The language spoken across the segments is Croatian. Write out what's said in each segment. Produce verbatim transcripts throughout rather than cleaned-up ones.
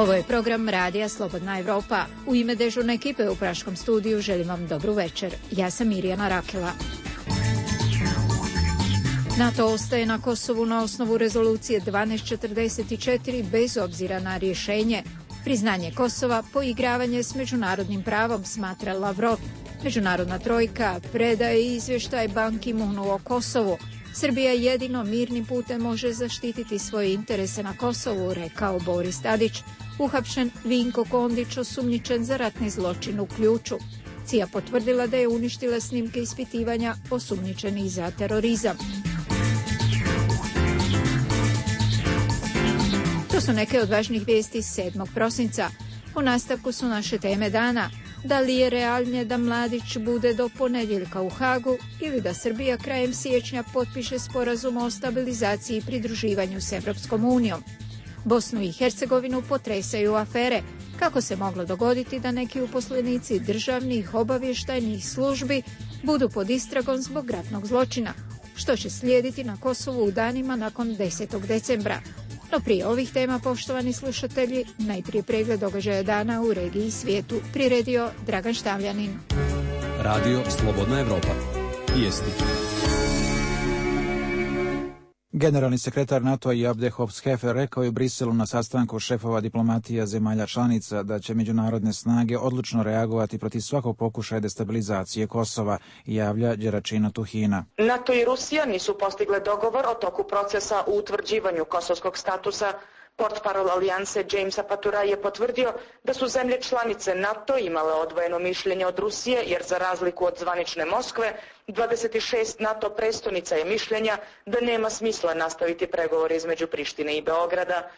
Ovo je program Radija Slobodna Evropa. U ime dežurne ekipe u Praškom studiju želim vam dobru večer. Ja sam Mirjana Rakela. NATO ostaje na Kosovu na osnovu rezolucije dvanaest četrdeset četiri bez obzira na rješenje. Priznanje Kosova poigravanje s međunarodnim pravom, smatra Lavrov. Međunarodna trojka predaje izvještaj Ban Ki-moonu o Kosovu. Srbija jedino mirnim putem može zaštititi svoje interese na Kosovu, rekao Boris Tadić. Uhapšen Vinko Kondić, osumnjičen za ratni zločin u Ključu. C I A potvrdila da je uništila snimke ispitivanja osumnjičenih za terorizam. To su neke od važnih vijesti sedmog prosinca. U nastavku su naše teme dana. Da li je realnije da Mladić bude do ponedjeljka u Hagu ili da Srbija krajem siječnja potpiše sporazum o stabilizaciji i pridruživanju s Evropskom unijom? Bosnu i Hercegovinu potresaju afere. Kako se moglo dogoditi da neki uposlenici državnih obavještajnih službi budu pod istragom zbog ratnog zločina? Što će slijediti na Kosovu u danima nakon desetog decembra? No prije ovih tema, poštovani slušatelji, najprije pregled događaja dana u regiji i svijetu priredio Dragan Štavljanin. Radio Slobodna Evropa. Vijesti. Generalni sekretar NATO-a Abdel Hofshefer rekao je u Briselu na sastanku šefova diplomatija zemalja članica da će međunarodne snage odlučno reagovati protiv svakog pokušaja destabilizacije Kosova, javlja Đeračina Tuhina. NATO i Rusija nisu postigle dogovor o toku procesa u utvrđivanju kosovskog statusa. Portparol alijanse Jamesa Patura je potvrdio da su zemlje članice NATO imale odvojeno mišljenje od Rusije, jer za razliku od zvanične Moskve, dvadeset šest NATO prestonica je mišljenja da nema smisla nastaviti pregovore između Prištine i Beograda.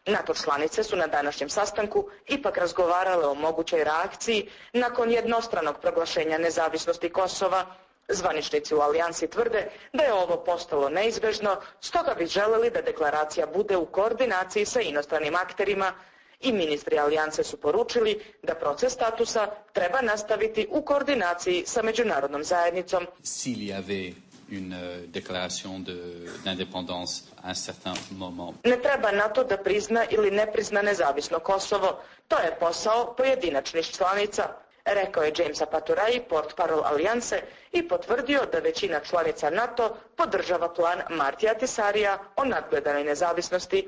NATO članice su na današnjem sastanku ipak razgovarale o mogućoj reakciji nakon jednostranog proglašenja nezavisnosti Kosova. Zvaničnici u alijansi tvrde da je ovo postalo neizbežno, stoga bi želeli da deklaracija bude u koordinaciji sa inostranim akterima i ministri alijanse su poručili da proces statusa treba nastaviti u koordinaciji sa međunarodnom zajednicom. S'il y avait une déclaration de d'indépendance à un certain moment. Ne treba NATO da prizna ili ne prizna nezavisno Kosovo, to je posao pojedinačnih članica, rekao je Jamesa Paturaj, portparol alijanse, i potvrdio da većina članica NATO podržava plan Martija Tisarija o nadgledanoj nezavisnosti.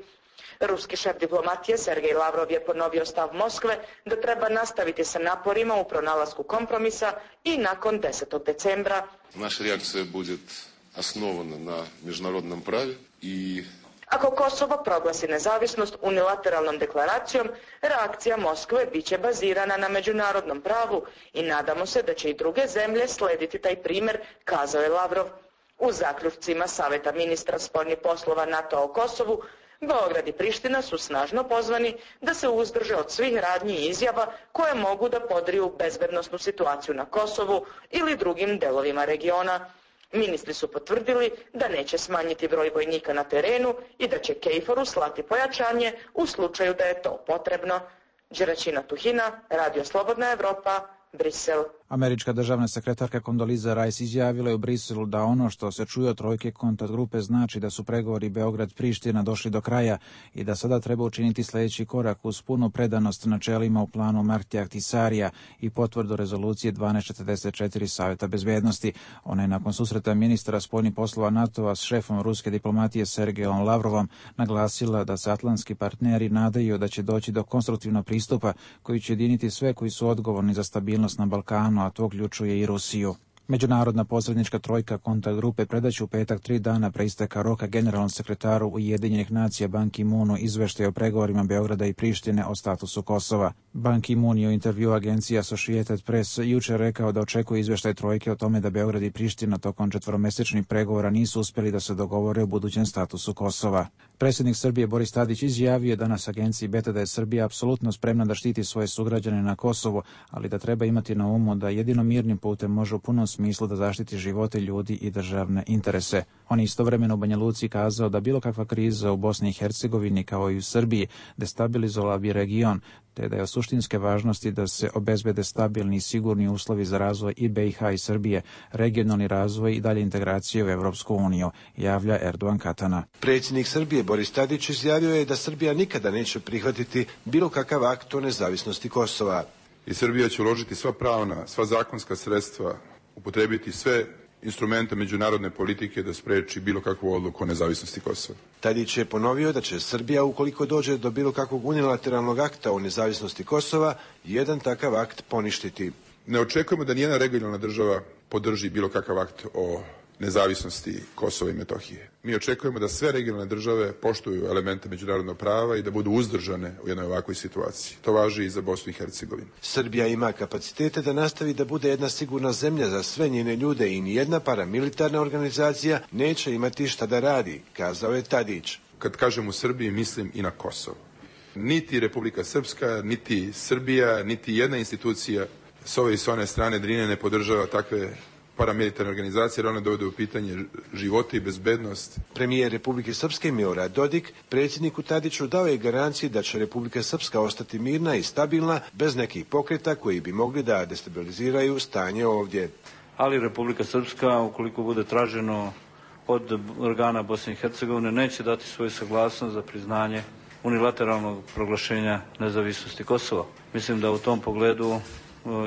Ruski šef diplomatije Sergej Lavrov je ponovio stav Moskve da treba nastaviti sa naporima u pronalasku kompromisa i nakon desetog decembra. Naša reakcija bude osnovana na međunarodnom pravu i ako Kosovo proglasi nezavisnost unilateralnom deklaracijom, reakcija Moskve biće bazirana na međunarodnom pravu i nadamo se da će i druge zemlje slediti taj primjer, kazao je Lavrov. U zaključcima Saveta ministra spoljnih poslova NATO o Kosovu, Beograd i Priština su snažno pozvani da se uzdrže od svih radnji i izjava koje mogu da podriju bezbednosnu situaciju na Kosovu ili drugim delovima regiona. Ministri su potvrdili da neće smanjiti broj vojnika na terenu i da će Kejforu slati pojačanje u slučaju da je to potrebno. Đeračina Tuhina, Radio Slobodna Evropa, Brisel. Američka državna sekretarka Condoleezza Rice izjavila je u Briselu da ono što se čuje od trojke kontakt grupe znači da su pregovori Beograd-Priština došli do kraja i da sada treba učiniti sljedeći korak uz punu predanost načelima u planu Martija Tisarija i potvrdu rezolucije dvanaest četrdeset četiri Saveta bezbednosti. Ona je nakon susreta ministra spoljnih poslova NATO-a s šefom ruske diplomatije Sergejom Lavrovom naglasila da se atlantski partneri nadaju da će doći do konstruktivnog pristupa koji će jediniti sve koji su odgovorni za stabilnost na Balkanu, a to uključuje i Rusiju. Međunarodna posrednička trojka kontakt grupe predaće u petak tri dana pre isteka roka generalnom sekretaru Ujedinjenih nacija Ban Ki-moonu izveštaj o pregovorima Beograda i Prištine o statusu Kosova. Ban Ki-moon je u intervju agencije Associated Press jučer rekao da očekuje izveštaj trojke o tome da Beograd i Priština tokom četveromesečnih pregovora nisu uspjeli da se dogovore o budućem statusu Kosova. Predsjednik Srbije Boris Tadić izjavio je danas agenciji Beta da je Srbija apsolutno spremna da štiti svoje sugrađane na Kosovu, ali da treba imati na umu da jedino mirnim putem može u punom smislu smislu da zaštiti živote ljudi i državne interese. On je istovremeno u Banja Luci kazao da bilo kakva kriza u Bosni i Hercegovini kao i u Srbiji destabilizovala bi region, te da je od suštinske važnosti da se obezbede stabilni i sigurni uslovi za razvoj i B i H i Srbije, regionalni razvoj i dalje integracije u Evropsku uniju, javlja Erdogan Katana. Predsjednik Srbije Boris Tadić izjavio je da Srbija nikada neće prihvatiti bilo kakav akt o nezavisnosti Kosova. I Srbija će uložiti sva pravna, sva zakonska sredstva, upotrebiti sve instrumente međunarodne politike da spreči bilo kakvu odluku o nezavisnosti Kosova. Tadić je ponovio da će Srbija, ukoliko dođe do bilo kakvog unilateralnog akta o nezavisnosti Kosova, jedan takav akt poništiti. Ne očekujemo da nijedna regionalna država podrži bilo kakav akt o nezavisnosti Kosova i Metohije. Mi očekujemo da sve regionalne države poštuju elemente međunarodnog prava i da budu uzdržane u jednoj ovakvoj situaciji. To važi i za Bosnu i Hercegovinu. Srbija ima kapacitete da nastavi da bude jedna sigurna zemlja za sve njene ljude i nijedna paramilitarna organizacija neće imati šta da radi, kazao je Tadić. Kad kažem u Srbiji, mislim i na Kosovo. Niti Republika Srpska, niti Srbija, niti jedna institucija s ove i s one strane Drine ne podržava takve paramilitarne organizacije, jer one dovode u pitanje života i bezbednost. Premijer Republike Srpske Milorad Dodik predsjedniku Tadiću dao je garanciju da će Republika Srpska ostati mirna i stabilna bez nekih pokreta koji bi mogli da destabiliziraju stanje ovdje. Ali Republika Srpska, ukoliko bude traženo od organa Bosne i Hercegovine, neće dati svoju saglasnost za priznanje unilateralnog proglašenja nezavisnosti Kosova. Mislim da u tom pogledu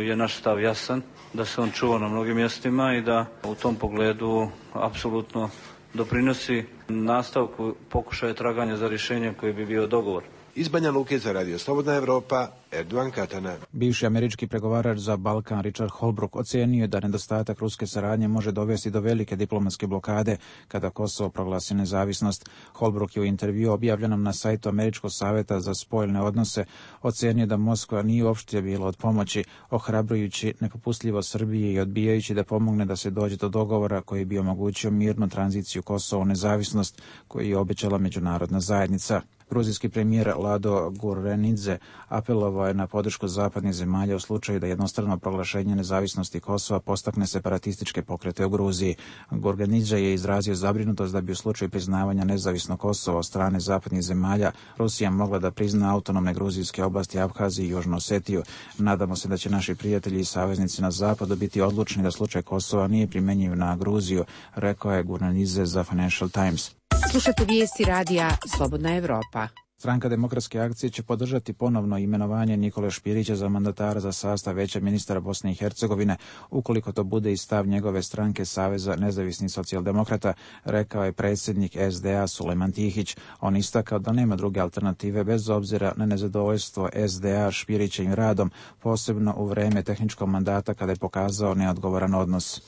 je naš stav jasan, da se on čuva na mnogim mjestima i da u tom pogledu apsolutno doprinosi nastavku pokušaja traganja za rješenje koji bi bio dogovor. Iz Banja Luke za Radio Slobodna Evropa, Erdogan Katana. Bivši američki pregovarač za Balkan Richard Holbrooke ocenio je da nedostatak ruske saradnje može dovesti do velike diplomatske blokade kada Kosovo proglasi nezavisnost. Holbrooke je u intervju objavljenom na sajtu Američkog savjeta za spoljne odnose ocenio da Moskva nije uopšte bila od pomoći, ohrabrujući nepopustljivo Srbije i odbijajući da pomogne da se dođe do dogovora koji bi omogućio mirnu tranziciju Kosova u nezavisnost koju je obećala međunarodna zajednica. Gruzijski premijer Lado Gurrenidze apelovao je na podršku zapadnih zemalja u slučaju da jednostrano proglašenje nezavisnosti Kosova postakne separatističke pokrete u Gruziji. Gurrenidze je izrazio zabrinutost da bi u slučaju priznavanja nezavisnog Kosova od strane zapadnih zemalja Rusija mogla da prizna autonomne gruzijske oblasti Abhaziju i Južnu Osetiju. Nadamo se da će naši prijatelji i saveznici na zapadu biti odlučni da slučaj Kosova nije primenjiv na Gruziju, rekao je Gurrenidze za Financial Times. Slušate vijesti radija Slobodna Evropa. Stranka Demokratske akcije će podržati ponovno imenovanje Nikole Špirića za mandatara za sastav Veća ministara Bosne i Hercegovine, ukoliko to bude i stav njegove stranke Saveza nezavisnih socijaldemokrata, rekao je predsjednik S D A Sulejman Tihić. On istakao da nema druge alternative bez obzira na nezadovoljstvo S D A Špirićevim radom, posebno u vreme tehničkog mandata kada je pokazao neodgovoran odnos.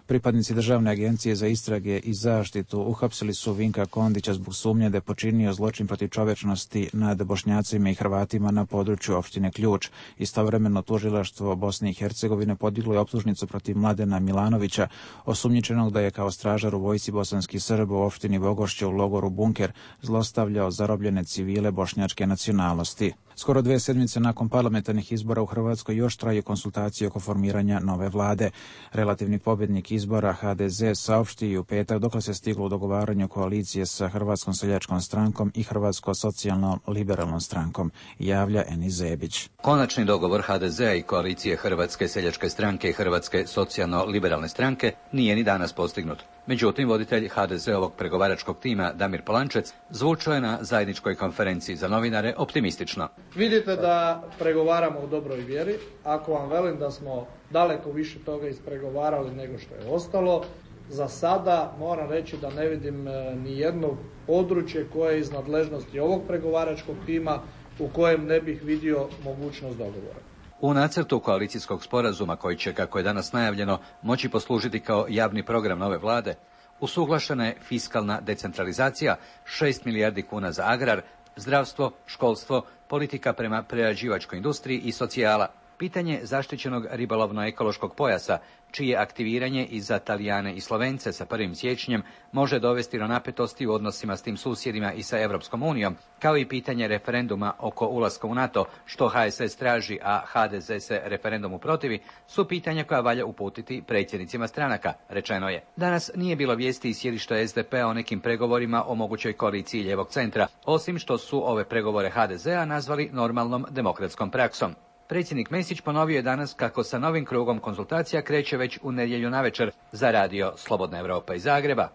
Pripadnici Državne agencije za istrage i zaštitu uhapsili su Vinka Kondića zbog sumnje da je počinio zločin protiv čovečnosti nad Bošnjacima i Hrvatima na području opštine Ključ. Istovremeno tužilaštvo Bosne i Hercegovine podiglo je optužnicu protiv Mladena Milanovića, osumnjičenog da je kao stražar u vojsci bosanskih Srba u opštini Bogošće u logoru Bunker zlostavljao zarobljene civile bošnjačke nacionalnosti. Skoro dve sedmice nakon parlamentarnih izbora u Hrvatskoj još traju konsultacije oko formiranja nove vlade. Relativni pobjednik izbora H D Z saopštio u petak dokle se stiglo u dogovaranju koalicije sa Hrvatskom seljačkom strankom i Hrvatsko socijalno-liberalnom strankom, javlja Enis Zebić. Konačni dogovor H D Z-a i koalicije Hrvatske seljačke stranke i Hrvatske socijalno-liberalne stranke nije ni danas postignut. Međutim, voditelj H D Z-ovog pregovaračkog tima Damir Polančec zvučao je na zajedničkoj konferenciji za novinare optimistično. Vidite da pregovaramo u dobroj vjeri. Ako vam velim da smo daleko više toga ispregovarali nego što je ostalo, za sada moram reći da ne vidim ni jedno područje koje je iz nadležnosti ovog pregovaračkog tima u kojem ne bih vidio mogućnost dogovora. U nacrtu koalicijskog sporazuma koji će, kako je danas najavljeno, moći poslužiti kao javni program nove vlade, usuglašena je fiskalna decentralizacija, šest milijardi kuna za agrar, zdravstvo, školstvo, politika prema prerađivačkoj industriji i socijala. Pitanje zaštićenog ribolovno-ekološkog pojasa, čije aktiviranje i za Talijane i Slovence sa prvim siječnjem može dovesti do napetosti u odnosima s tim susjedima i sa Europskom unijom, kao i pitanje referenduma oko ulaska u NATO, što H S S traži, a H D Z se referendumu protivi, su pitanja koja valja uputiti predsjednicima stranaka, rečeno je. Danas nije bilo vijesti iz sjedišta S D P-a o nekim pregovorima o mogućoj koaliciji lijevog centra, osim što su ove pregovore H D Z-a nazvali normalnom demokratskom praksom. Predsjednik Mesić ponovio je danas kako sa novim krugom konzultacija kreće već u nedjelju navečer. Za radio Slobodna Evropa iz Zagreba,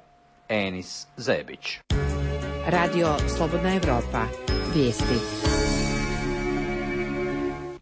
Enis Zebić. Radio Slobodna Evropa. Vijesti.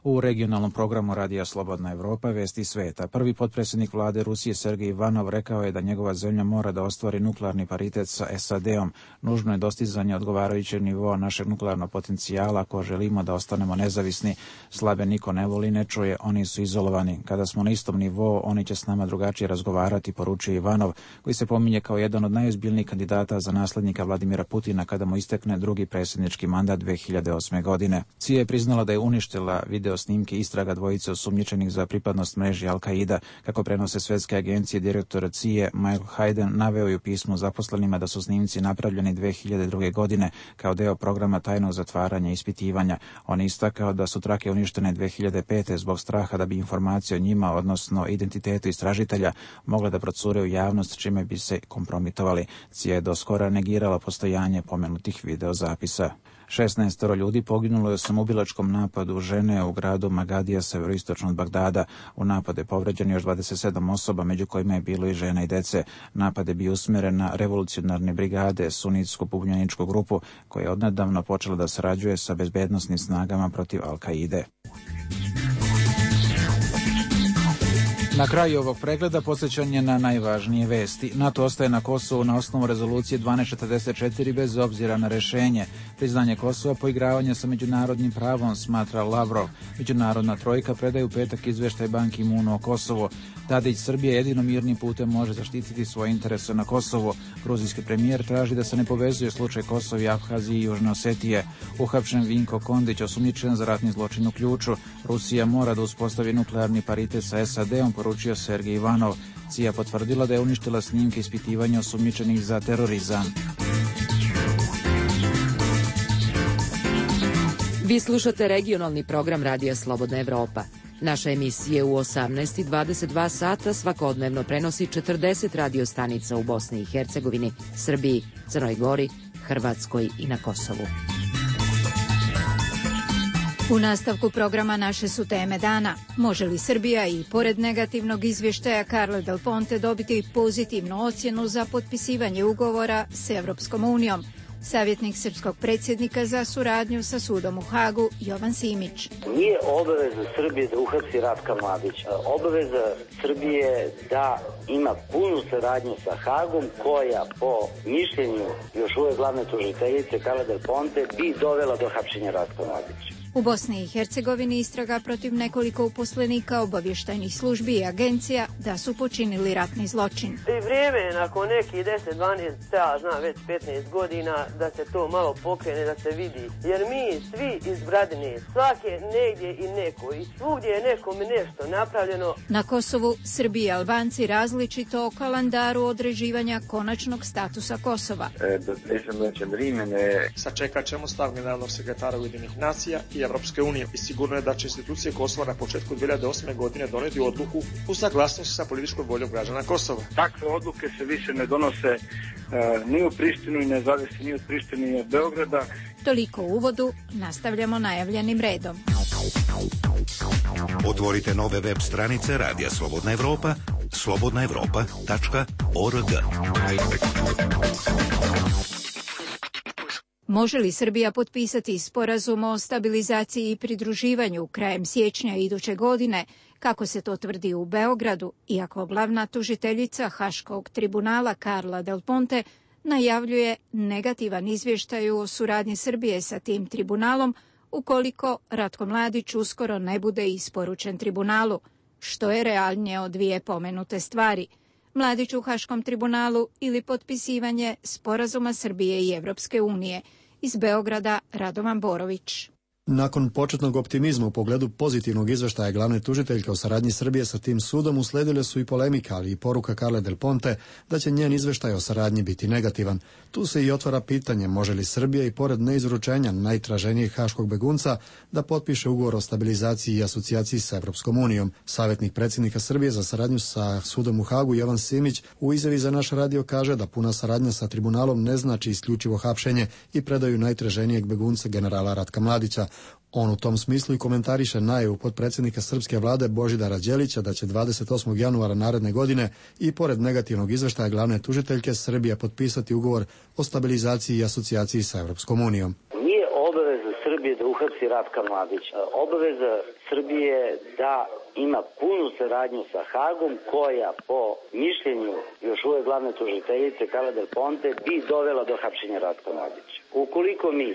U regionalnom programu Radija Slobodna Evropa vijesti sveta. Prvi potpredsjednik vlade Rusije Sergej Ivanov rekao je da njegova zemlja mora da ostvari nuklearni paritet sa S A D-om. Nužno je dostizanje odgovarajućeg nivoa našeg nuklearnog potencijala ako želimo da ostanemo nezavisni. Slabe niko ne voli, ne čuje, oni su izolovani. Kada smo na istom nivou, oni će s nama drugačije razgovarati, poručuje Ivanov, koji se pominje kao jedan od najozbiljnijih kandidata za naslednika Vladimira Putina kada mu istekne drugi predsjednički mandat dve hiljade osme. godine. C I A je priznala da je uništila video snimke istraga dvojice osumnjičenih za pripadnost mreži Al-Qaida. Kako prenose svetske agencije, direktor C I A Michael Hayden naveo je u pismu zaposlenima da su snimci napravljeni dve hiljade druge. godine kao deo programa tajnog zatvaranja i ispitivanja. On je istakao da su trake uništene dve hiljade pete. zbog straha da bi informacije o njima, odnosno identitetu istražitelja, mogle da procure u javnost, čime bi se kompromitovali. C I A je do skora negirala postojanje pomenutih videozapisa. šesnaestoro ljudi poginulo je u samoubilačkom napadu žene u gradu Magadija, severoistočno od Bagdada. U napade povređeno još dvadeset sedam osoba, među kojima je bilo i žena i dece. Napad je bio usmjeren na revolucionarne brigade, sunitsku pobunjeničku grupu, koja je odnedavno počela da sarađuje sa bezbednosnim snagama protiv Al-Kaide. Na kraju ovog pregleda podsjećanje na najvažnije vesti. NATO ostaje na Kosovu na osnovu rezolucije dvanaest četrdeset četiri bez obzira na rješenje. Priznanje Kosova poigravanje sa međunarodnim pravom, smatra Lavrov. Međunarodna trojka predaje u petak izveštaj Ban Ki-moonu o Kosovu. Tadić, Srbija jedino mirnim putem može zaštititi svoje interese na Kosovu. Gruzijski premijer traži da se ne povezuje slučaj Kosova i Abhazije i Južne Osetije. Uhapšen Vinko Kondić, osumnjičen za ratni zločin u Ključu. Rusija mora da uspostavi nuklearni paritet sa S A D-om, poručio Sergej Ivanov. C I A potvrdila da je uništila snimke ispitivanja osumnjičenih za terorizam. Vi slušate regionalni program Radija Slobodna Evropa. Naša emisija u osamnaest i dvadeset dva sata svakodnevno prenosi četrdeset radio stanica u Bosni i Hercegovini, Srbiji, Crnoj Gori, Hrvatskoj i na Kosovu. U nastavku programa naše su teme dana. Može li Srbija i pored negativnog izvještaja Carle Del Ponte dobiti pozitivnu ocjenu za potpisivanje ugovora s Evropskom unijom? Savjetnik srpskog predsjednika za suradnju sa sudom u Hagu, Jovan Simić. Nije obaveza Srbije da uhapsi Ratka Mladića. Obaveza Srbije da ima punu saradnju sa Hagom, koja po mišljenju još uvijek glavne tužiteljice Carle Del Ponte bi dovela do hapšenja Ratka Mladića. U Bosni i Hercegovini istraga protiv nekoliko uposlenika obavještajnih službi i agencija da su počinili ratni zločin. I vrijeme je nakon nekih deset, dvanaest, ja znam već petnaest godina da se to malo pokrene, da se vidi. Jer mi svi iz Bradine, svake negdje i neko, i svugdje je nekome nešto napravljeno. Na Kosovu Srbi i Albanci različito o kalendaru određivanja konačnog statusa Kosova. Sačekat ćemo stav generalnog sekretara Ujedinjenih nacija i Evropske unije i sigurno je da će institucije Kosova na početku dvije hiljade osme. godine doneti odluku u saglasnosti sa političkom voljom građana Kosova. Takve odluke se više ne donose e, ni u Prištinu i ne zavisi ni od Prištine ni od Beograda. Toliko u uvodu, nastavljamo najavljenim redom. Otvorite nove web stranice Radija Slobodna Evropa, slobodna evropa tačka org. Može li Srbija potpisati sporazum o stabilizaciji i pridruživanju krajem siječnja iduće godine, kako se to tvrdi u Beogradu, iako glavna tužiteljica Haškog tribunala Carla Del Ponte najavljuje negativan izvještaj o suradnji Srbije sa tim tribunalom ukoliko Ratko Mladić uskoro ne bude isporučen tribunalu, što je realnije od dvije pomenute stvari. Mladić u Haškom tribunalu ili potpisivanje sporazuma Srbije i Evropske unije. Iz Beograda Radovan Borović. Nakon početnog optimizma u pogledu pozitivnog izveštaja glavne tužiteljke o saradnji Srbije sa tim sudom usledile su i polemika, ali i poruka Carle Del Ponte da će njen izveštaj o saradnji biti negativan. Tu se i otvara pitanje može li Srbija i pored neizručenja najtraženijeg haškog begunca da potpiše ugovor o stabilizaciji i asocijaciji sa Evropskom unijom. Savjetnik predsjednika Srbije za saradnju sa sudom u Hagu Jovan Simić u izjavi za naš radio kaže da puna saradnja sa tribunalom ne znači isključivo hapšenje i predaju najtraženijeg begunca generala Ratka Mladića. On u tom smislu i komentariše najavu potpredsjednika srpske vlade Božidara Đelića da će dvadeset osmog januara naredne godine i pored negativnog izveštaja glavne tužiteljke Srbija potpisati ugovor o stabilizaciji i asocijaciji sa Evropskom unijom. Nije obaveza Srbije da uhapsi Ratka Mladića. Obaveza Srbije da ima punu saradnju sa Hagom koja po mišljenju još uvek glavne tužiteljice Carle Del Ponte bi dovela do hapšenja Ratka Mladića. Ukoliko mi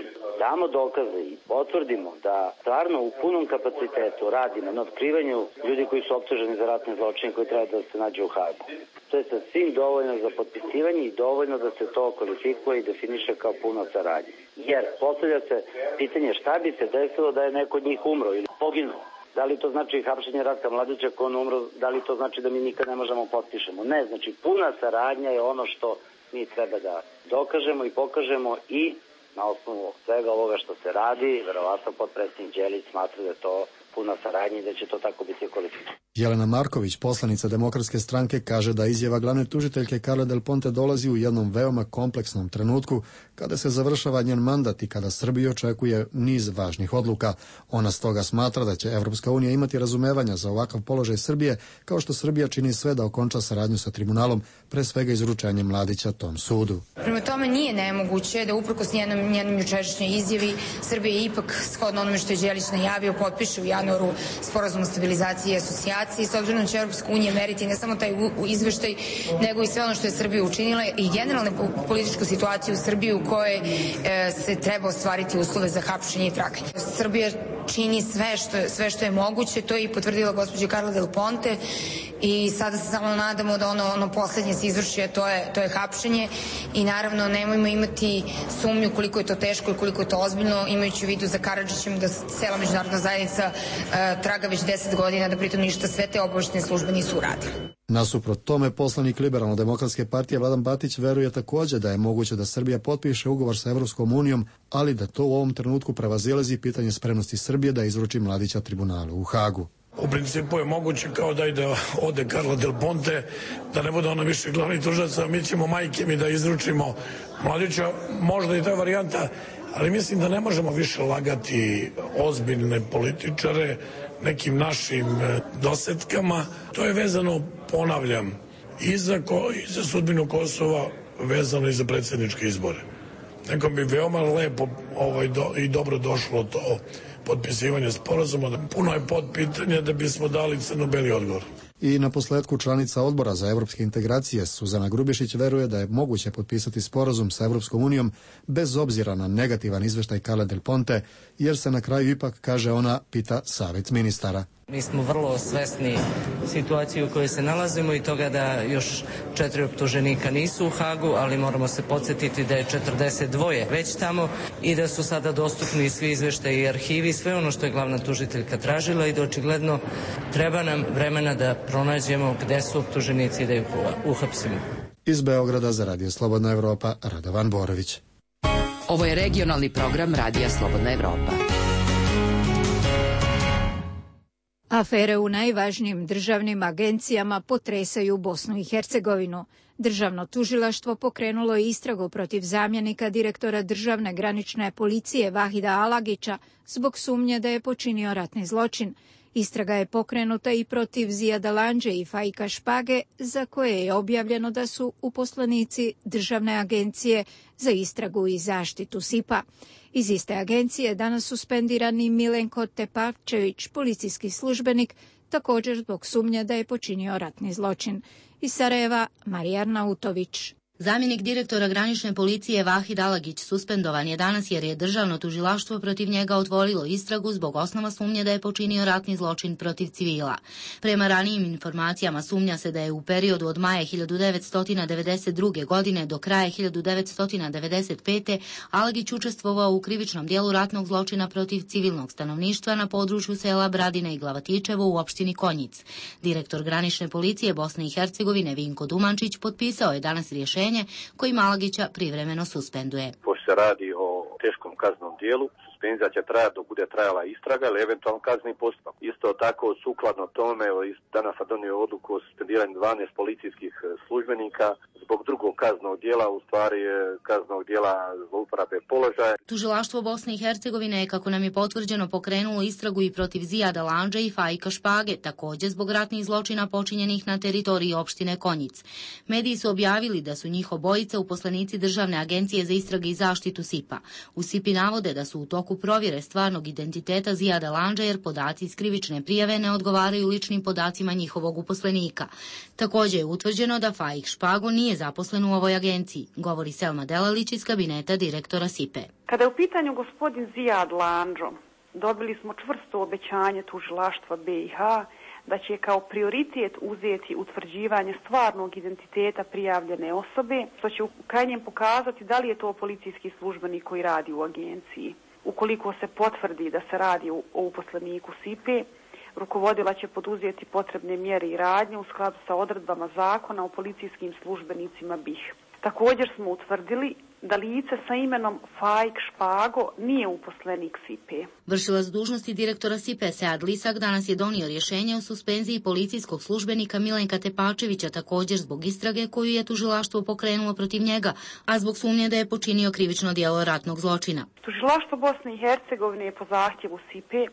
damo dokaze i potvrdimo da stvarno u punom kapacitetu radimo na otkrivanju ljudi koji su optuženi za ratne zločine koji treba da se nađe u Hagu, to je sasvim dovoljno za potpisivanje i dovoljno da se to kvalifikuje i definiše kao puna saradnja. Jer postavlja se pitanje šta bi se desilo da je neko od njih umro ili poginuo. Da li to znači hapšenje Ratka Mladića ako on umro, da li to znači da mi nikad ne možemo potpišemo? Ne, znači puna saradnja je ono što mi treba da dokažemo i pokažemo i na osnovu svega ovoga što se radi, verovatno potpredsjednik Đelić smatra da je to puna saradnja i da će to tako biti kvalifikovano. Jelena Marković, poslanica Demokratske stranke, kaže da izjava glavne tužiteljke Carle Del Ponte dolazi u jednom veoma kompleksnom trenutku kada se završava njen mandat i kada Srbiju očekuje niz važnih odluka. Ona stoga smatra da će Evropska unija imati razumevanja za ovakav položaj Srbije, kao što Srbija čini sve da okonča saradnju sa tribunalom, pre svega izručenjem Mladića tom sudu. Prema tome nije nemoguće da uprkos njenom, njenom jučerašnjoj izjavi Srbija ipak, shodno onome što je Đelić najavio, potpiše u januaru sporazum o stabilizaciji i asocijaciji. S obzirom da će Evropska unija meriti ne samo taj izveštaj, nego i sve ono što je Srbija učinila i generalnu političku situaciju u Srbiji u kojoj e, se treba ostvariti uslove za hapšenje i traganje. Srbija čini sve što, je, sve što je moguće, to je i potvrdila gospođa Carle Del Ponte i sada se samo nadamo da ono, ono poslednje se izvrši, a to je, to je hapšenje i naravno nemojmo imati sumnju koliko je to teško i koliko je to ozbiljno, imajući u vidu za Karadžićem da cela međunarodna zajednica e, traga već deset godina, da pritom ništa sve te obaveštajne službe nisu uradile. Nasuprot tome, poslanik Liberalno-demokratske partije Vladan Batić veruje takođe da je moguće da Srbija potpiše ugovor sa Evropskom unijom, ali da to u ovom trenutku prevazilazi pitanje spremnosti Srbije da izruči Mladića tribunalu u Hagu. U principu je moguće kao da ide ode Carle Del Ponte, da ne bude ona više glavni tužilac, a mi ćemo majke mi da izručimo Mladića, možda i ta varijanta, ali mislim da ne možemo više lagati ozbiljne političare nekim našim dosetkama. To je vezano, ponavljam, i za, ko, i za sudbinu Kosova, vezano i za predsjedničke izbore. Nekom bi veoma lepo ovaj, do, i dobro došlo to potpisivanje sporazuma. Puno je podpitanja da bismo dali crno-beli odgovor. I na posledku članica odbora za evropske integracije Suzana Grubišić veruje da je moguće potpisati sporazum sa Evropskom unijom bez obzira na negativan izveštaj Carle Del Ponte, jer se na kraju ipak, kaže ona, pita savjet ministara. Mi smo vrlo svesni situacije u kojoj se nalazimo i toga da još četiri optuženika nisu u Hagu, ali moramo se podsjetiti da je četrdeset dva već tamo i da su sada dostupni svi izveštaji i arhivi, sve ono što je glavna tužiteljka tražila i da očigledno treba nam vremena da pronađemo gde su optuženici i da ih uhapsimo. Iz Beograda za Radio Slobodna Evropa, Radovan Borović. Ovo je regionalni program Radija Slobodna Evropa. Afere u najvažnijim državnim agencijama potresaju Bosnu i Hercegovinu. Državno tužilaštvo pokrenulo je istragu protiv zamjenika direktora državne granične policije Vahida Alagića zbog sumnje da je počinio ratni zločin. Istraga je pokrenuta i protiv Zijada Landže i Faika Špage, za koje je objavljeno da su uposlenici Državne agencije za istragu i zaštitu S I P-a. Iz iste agencije danas suspendirani Milenko Tepavčević, policijski službenik, također zbog sumnje da je počinio ratni zločin. Iz Sarajeva, Marija Arnautović. Zamjenik direktora granične policije Vahid Alagić suspendovan je danas jer je državno tužilaštvo protiv njega otvorilo istragu zbog osnova sumnje da je počinio ratni zločin protiv civila. Prema ranijim informacijama sumnja se da je u periodu od maja hiljadu devetsto devedeset druge. godine do kraja hiljadu devetsto devedeset pete. Alagić učestvovao u krivičnom dijelu ratnog zločina protiv civilnog stanovništva na području sela Bradine i Glavatičevo u opštini Konjic. Direktor granične policije Bosne i Hercegovine Vinko Dumančić potpisao je danas rješenje kojim Alagića privremeno suspenduje. Pošto se radi o teškom kaznenom dijelu, suspenzija će trajati dok bude trajala istraga ili eventualno kazneni postupak. Isto tako, sukladno tome, danas sam donio odluku o suspendiranju dvanaest policijskih službenika zbog drugog kaznenog dijela, u stvari kaznenog dijela zlouporabe položaja. Tužilaštvo Bosne i Hercegovine je, kako nam je potvrđeno, pokrenulo istragu i protiv Zijada Landže i Fajka Špage, također zbog ratnih zločina počinjenih na teritoriji opštine Konjic. Mediji su objavili da su njih obojica uposlenici Državne agencije za istrage i zaštitu S I P-a. U S I P-i navode da su u toku provjere stvarnog identiteta Zijada Landže jer podaci iz krivične prijave ne odgovaraju ličnim podacima njihovog uposlenika. Također je utvrđeno da Fajk Špago nije zaposlen u ovoj agenciji, govori Selma Delalić iz kabineta direktora S I P-e. Kada je u pitanju gospodin Zijad Landžo, dobili smo čvrsto obećanje tužilaštva B i H da će kao prioritet uzeti utvrđivanje stvarnog identiteta prijavljene osobe, što će u krajnjem pokazati da li je to policijski službenik koji radi u agenciji. Ukoliko se potvrdi da se radi o uposleniku S I P-e, rukovodila će poduzeti potrebne mjere i radnje u skladu sa odredbama zakona o policijskim službenicima B I H. Također smo utvrdili da lice sa imenom Fajk Špago nije uposlenik S I P-e. Vršilac dužnosti direktora S I P-e Sead Lisak danas je donio rješenje o suspenziji policijskog službenika Milenka Tepačevića, također zbog istrage koju je tužilaštvo pokrenulo protiv njega, a zbog sumnje da je počinio krivično djelo ratnog zločina. Tužilaštvo Bosne i Hercegovine je po zahtjevu S I P-e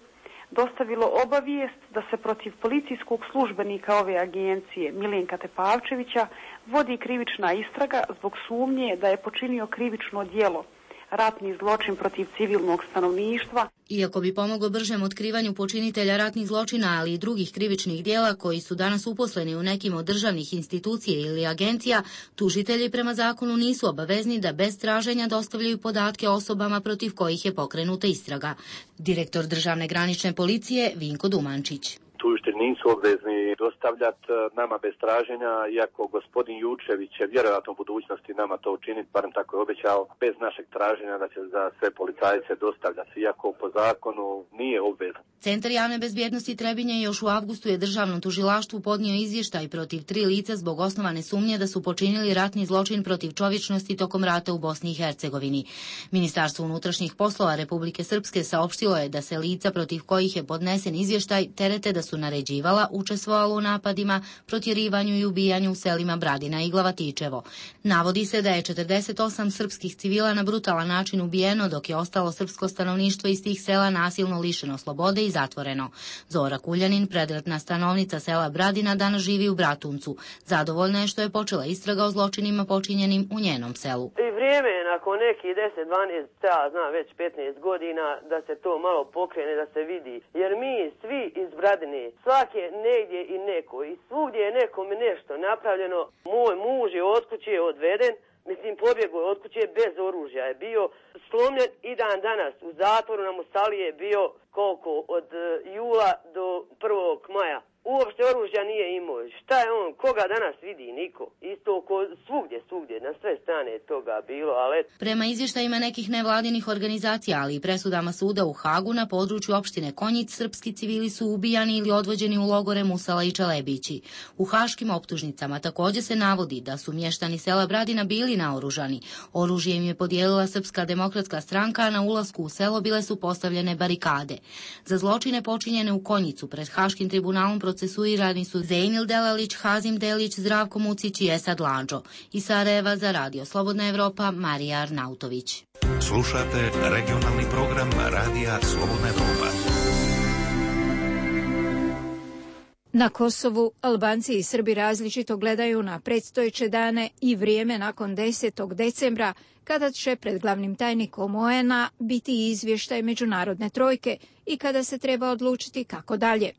dostavilo obavijest da se protiv policijskog službenika ove agencije Milenka Tepavčevića vodi krivična istraga zbog sumnje da je počinio krivično djelo ratni zločin protiv civilnog stanovništva. Iako bi pomoglo bržem otkrivanju počinitelja ratnih zločina, ali i drugih krivičnih djela koji su danas uposleni u nekim od državnih institucija ili agencija, tužitelji prema zakonu nisu obavezni da bez traženja dostavljaju podatke osobama protiv kojih je pokrenuta istraga. Direktor Državne granične policije Vinko Dumančić. Tužitelji nisu obvezni dostavljati nama bez traženja, iako gospodin Jučević će vjerojatno u budućnosti nama to učiniti, barem tako je obećao, bez našeg traženja da će za sve policajce dostavljati, iako po zakonu nije obvezan. Centar javne bezbjednosti Trebinje još u avgustu je državnom tužilaštvu podnio izvještaj protiv tri lica zbog osnovane sumnje da su počinili ratni zločin protiv čovječnosti tokom rata u Bosni i Hercegovini. Ministarstvo unutrašnjih poslova Republike Srpske saopštilo je da se lica protiv kojih je podnesen izvještaj terete da su naređivala, učestvovalo u napadima, protjerivanju i ubijanju u selima Bradina i Glavatičevo. Navodi se da je četrdeset osam srpskih civila na brutalan način ubijeno, dok je ostalo srpsko stanovništvo iz tih sela nasilno lišeno slobode i zatvoreno. Zora Kuljanin, predratna stanovnica sela Bradina, danas živi u Bratuncu. Zadovoljna je što je počela istraga o zločinima počinjenim u njenom selu. I vrijeme je nakon nekih deset dvanaest, ja znam već petnaest godina, da se to malo pokrene, da se vidi. Jer mi svi iz Bradine, svake negdje i neko, i svugdje je nekome nešto napravljeno. Moj muž je od kuće odveden, mislim pobjegao je od kuće bez oružja, je bio slomljen i dan danas u zatvoru na Musali je bio koliko od jula do prvog maja. Uopšte oružja nije imao. Šta je on? Koga danas vidi? Niko. Isto ko svugdje, svugdje, na sve strane je toga bilo, ali... Prema izvještajima nekih nevladinih organizacija, ali i presudama suda u Hagu, na području opštine Konjic, srpski civili su ubijani ili odvođeni u logore Musala i Čelebići. U haškim optužnicama također se navodi da su mještani sela Bradina bili naoružani. Oružje im je podijelila Srpska demokratska stranka, a na ulasku u selo bile su postavljene barikade. Za zločine počinjene u Konjicu pred Haškim tribunalom procesuirani su Zejnil Delalić, Hazim Delić, Zdravko Mucić i Esad Landžo. Iz Sarajeva za Radio Slobodna Evropa, Marija Arnautović. Slušate regionalni program Radija Slobodna Evropa. Na Kosovu Albanci i Srbi različito gledaju na predstojeće dane i vrijeme nakon desetog decembra, kada će pred glavnim tajnikom O E N A biti izvještaj međunarodne trojke i kada se treba odlučiti kako dalje.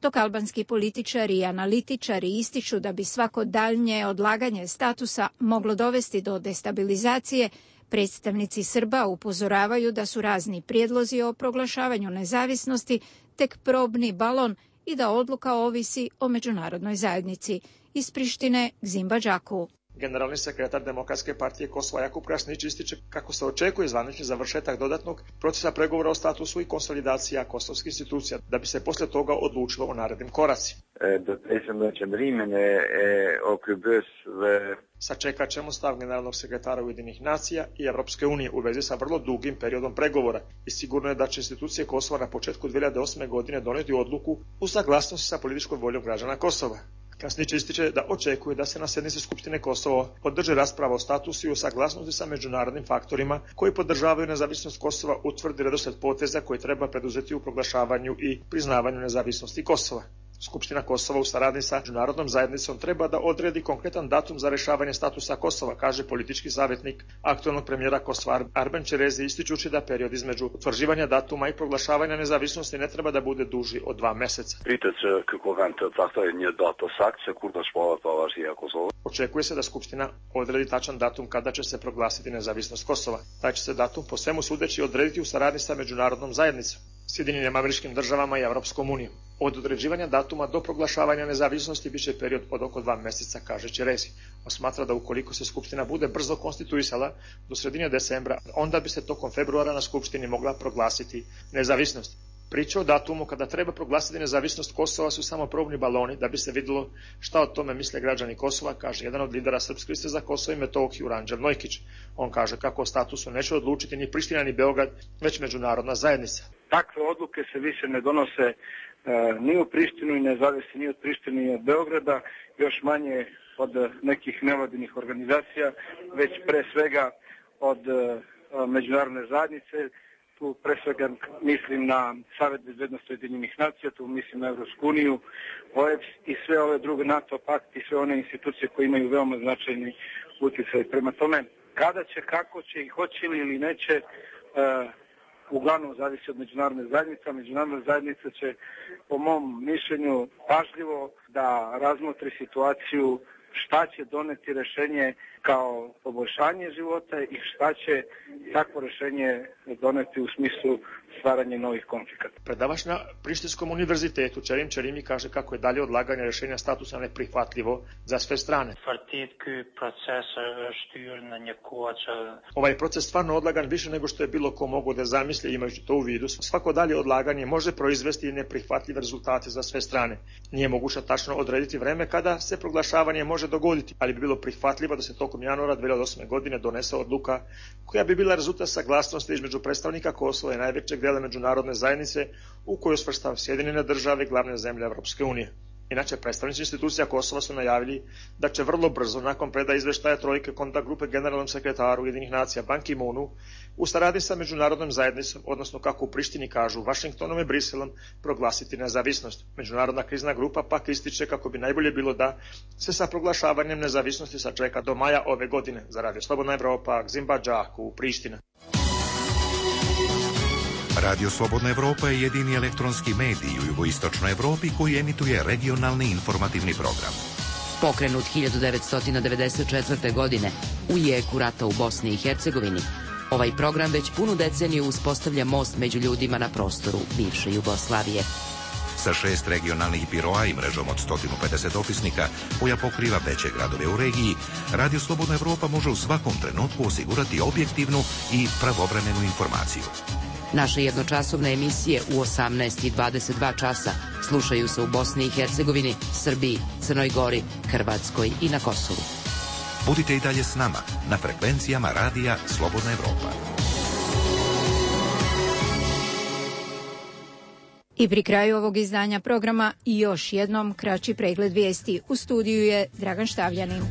dok albanski političari i analitičari ističu da bi svako daljnje odlaganje statusa moglo dovesti do destabilizacije, predstavnici Srba upozoravaju da su razni prijedlozi o proglašavanju nezavisnosti tek probni balon i da odluka ovisi o međunarodnoj zajednici. Iz Prištine, Gzimba Đaku. Generalni sekretar Demokratske partije Kosova Jakub Krasnić ističe kako se očekuje zvanični završetak dodatnog procesa pregovora o statusu i konsolidacija kosovskih institucija, da bi se posle toga odlučilo o narednim koracima. Sačekat ćemo stav generalnog sekretara Ujedinjenih nacija i Evropske unije u vezi sa vrlo dugim periodom pregovora i sigurno je da će institucije Kosova na početku dvije hiljade osme. godine doneti odluku u saglasnosti sa političkom voljom građana Kosova. Krasnić ističe da očekuje da se na sjednici Skupštine Kosova održi rasprava o statusu i o saglasnosti sa međunarodnim faktorima koji podržavaju nezavisnost Kosova, utvrdi redoslijed poteza koji treba preduzeti u proglašavanju i priznavanju nezavisnosti Kosova. Skupština Kosova u saradnji sa međunarodnom zajednicom treba da odredi konkretan datum za rešavanje statusa Kosova, kaže politički savjetnik aktualnog premijera Kosova Arben Čerezi, ističući da period između utvrđivanja datuma i proglašavanja nezavisnosti ne treba da bude duži od dva meseca. Očekuje se da Skupština odredi tačan datum kada će se proglasiti nezavisnost Kosova. Taj će se datum po svemu sudeći odrediti u saradnji sa međunarodnom zajednicom, Sjedinjenim Američkim Državama i Evropskom unijom. Od određivanja datuma do proglašavanja nezavisnosti biće period od oko dva meseca, kaže Čerezi. On smatra da ukoliko se Skupština bude brzo konstituisala do sredine decembra, onda bi se tokom februara na Skupštini mogla proglasiti nezavisnost. Priče o datumu kada treba proglasiti nezavisnost Kosova su samo probni baloni da bi se vidjelo šta o tome misle građani Kosova, kaže jedan od lidera Srpske liste za Kosovo i Metohiju, Ranđel Nojkić. On kaže kako o statusu neće odlučiti ni Priština ni Beograd, već međunarodna zajednica. Takve odluke se više ne donose e, ni u Prištinu i ne zavisi ni od Prištine ni od Beograda, još manje od nekih nevladinih organizacija, već pre svega od e, međunarodne zajednice. Tu pre svega mislim na Savet bezbednosti Ujedinjenih nacija, tu mislim na Evropsku uniju, O E B S i sve ove druge NATO pakt i sve one institucije koje imaju veoma značajni utjecaj. Prema tome, kada će, kako će i hoće li ili neće, e, uglavnom zavisi od međunarodne zajednice. Međunarodna zajednica će, po mom mišljenju, pažljivo da razmotri situaciju, šta će doneti rešenje kao poboljšanje života i šta će takvo rešenje doneti u smislu stvaranja novih konflikata. Predavač na Prištinskom univerzitetu Čerim Čerimi kaže kako je dalje odlaganje rešenja statusa neprihvatljivo za sve strane. Ovaj proces stvarno odlagan više nego što je bilo ko mogo da zamisli, imajući to u vidu. Svako dalje odlaganje može proizvesti neprihvatljive rezultate za sve strane. Nije moguće tačno odrediti vreme kada se proglašavanje može dogoditi, ali bi bilo prihvatljivo da se tokom januara dvije hiljade osme. godine donese odluka koja bi bila rezultat saglasnosti između predstavnika Kosova i najvećeg dela međunarodne zajednice u kojoj svrstava Sjedinjene države i glavne zemlje Evropske unije. Inače, predstavnici institucija Kosova su najavili da će vrlo brzo, nakon predaje izveštaja trojke kontakt grupe generalnom sekretaru Ujedinjenih nacija Ban Ki-moonu, u saradnji sa međunarodnom zajednicom, odnosno kako u Prištini kažu, Vašingtonom i Briselom, proglasiti nezavisnost. Međunarodna krizna grupa pak ističe kako bi najbolje bilo da se sa proglašavanjem nezavisnosti sačeka do maja ove godine. Za Radio Slobodna Evropa, Gzimba Đaku, Priština. Radio Slobodna Evropa je jedini elektronski medij u jugoistočnoj Evropi koji emituje regionalni informativni program. Pokrenut hiljadu devetsto devedeset četvrte. godine u jeku rata u Bosni i Hercegovini, ovaj program već punu deceniju uspostavlja most među ljudima na prostoru bivše Jugoslavije. Sa šest regionalnih biroa i mrežom od sto pedeset opisnika koja pokriva veće gradove u regiji, Radio Slobodna Evropa može u svakom trenutku osigurati objektivnu i pravovremenu informaciju. Naše jednočasovne emisije u osamnaest i dvadeset dva časa slušaju se u Bosni i Hercegovini, Srbiji, Crnoj Gori, Hrvatskoj i na Kosovu. Budite i dalje s nama na frekvencijama Radija Slobodna Evropa. I pri kraju ovog izdanja programa i još jednom kraći pregled vijesti. U studiju je Dragan Štavljanin.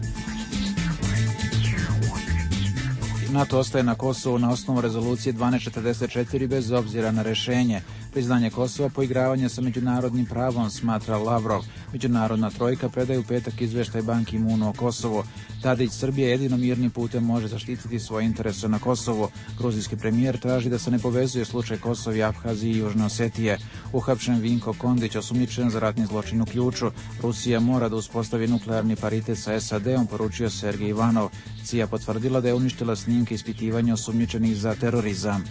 NATO ostaje na Kosovu na osnovu rezolucije dvanaest četrdeset četiri bez obzira na rešenje. Priznanje Kosova poigravanje sa međunarodnim pravom, smatra Lavrov. Međunarodna trojka predaje u petak izveštaj Ban Ki-moonu o Kosovu. Tadić, Srbija jedino mirnim putem može zaštititi svoje interese na Kosovu. Gruzijski premijer traži da se ne povezuje slučaj Kosova i Aphazije i Južne Osetije. Uhapšen Vinko Kondić, osumnjičen za ratni zločin u Ključu. Rusija mora da uspostavi nuklearni paritet sa S A D-om, poručio Sergej Ivanov. C I A potvrdila da je uništila snimke ispitivanja osumnjičenih za terorizam.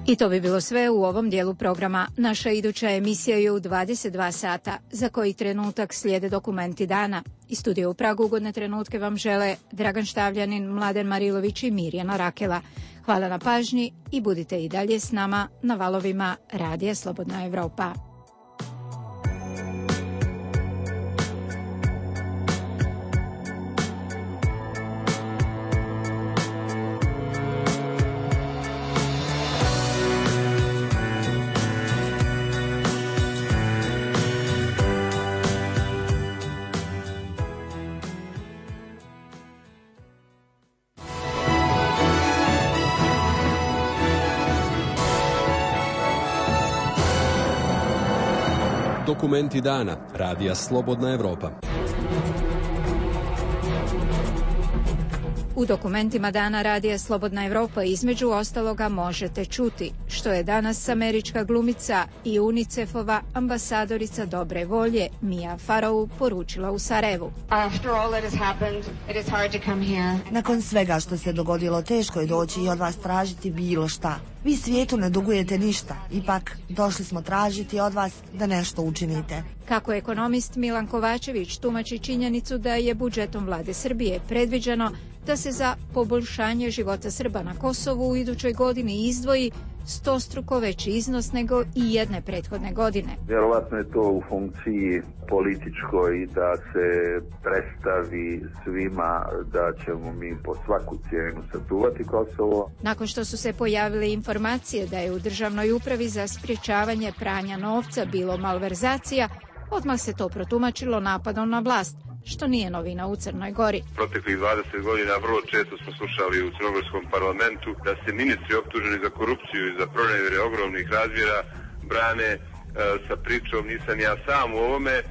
I to bi bilo sve u ovom dijelu programa. Naša iduća emisija je u dvadeset dva sata, za koji trenutak slijede dokumenti dana. Iz studija u Pragu ugodne trenutke vam žele Dragan Štavljanin, Mladen Marilović i Mirjana Rakela. Hvala na pažnji i budite i dalje s nama na valovima Radija Slobodna Evropa. Dokumenti dana Radija Slobodna Evropa. U dokumentima dana Radija Slobodna Evropa između ostaloga možete čuti što je danas američka glumica i UNICEF-ova ambasadorica dobre volje Mia Farrow poručila u Sarajevu. Nakon svega što se dogodilo, teško je doći i od vas tražiti bilo šta. Vi svijetu ne dugujete ništa, ipak došli smo tražiti od vas da nešto učinite. Kako ekonomist Milan Kovačević tumači činjenicu da je budžetom vlade Srbije predviđeno da se za poboljšanje života Srba na Kosovu u idućoj godini izdvoji stostruko veći iznos nego i jedne prethodne godine. Vjerovatno je to u funkciji političkoj da se predstavi svima da ćemo mi po svaku cijenu sačuvati Kosovo. Nakon što su se pojavile informacije da je u Državnoj upravi za sprječavanje pranja novca bilo malverzacija, odmah se to protumačilo napadom na vlast, što nije novina u Crnoj Gori. Proteklih dvadeset godina vrlo često smo slušali u crnogorskom parlamentu da se ministri optuženi za korupciju i za pronevjere ogromnih razmjera brane e, sa pričom nisam ja sam u ovome, e,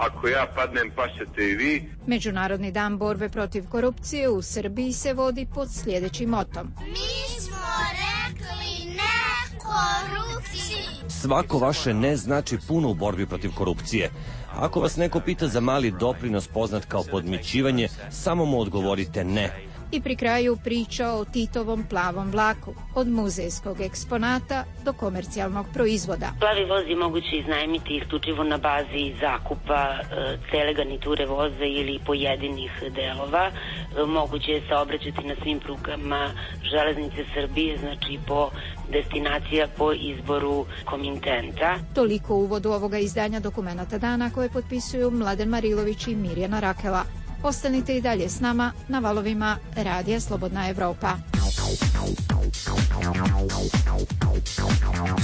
ako ja padnem pašćete i vi. Međunarodni dan borbe protiv korupcije u Srbiji se vodi pod sljedećim motom. Mi smo rekli ne korupciji. Svako vaše ne znači puno u borbi protiv korupcije. Ako vas neko pita za mali doprinos poznat kao podmićivanje, samo mu odgovorite ne. I pri kraju priča o Titovom plavom vlaku, od muzejskog eksponata do komercijalnog proizvoda. Plavi voz je moguće iznajmiti isključivo na bazi zakupa e, cele garniture voza ili pojedinih delova. E, moguće je saobraćati na svim prugama železnice Srbije, znači po destinacija po izboru komitenta. Toliko u uvodu ovoga izdanja Dokumenata dana koje potpisuju Mladen Marilović i Mirjana Rakela. Ostanite i dalje s nama na valovima Radija Slobodna Evropa.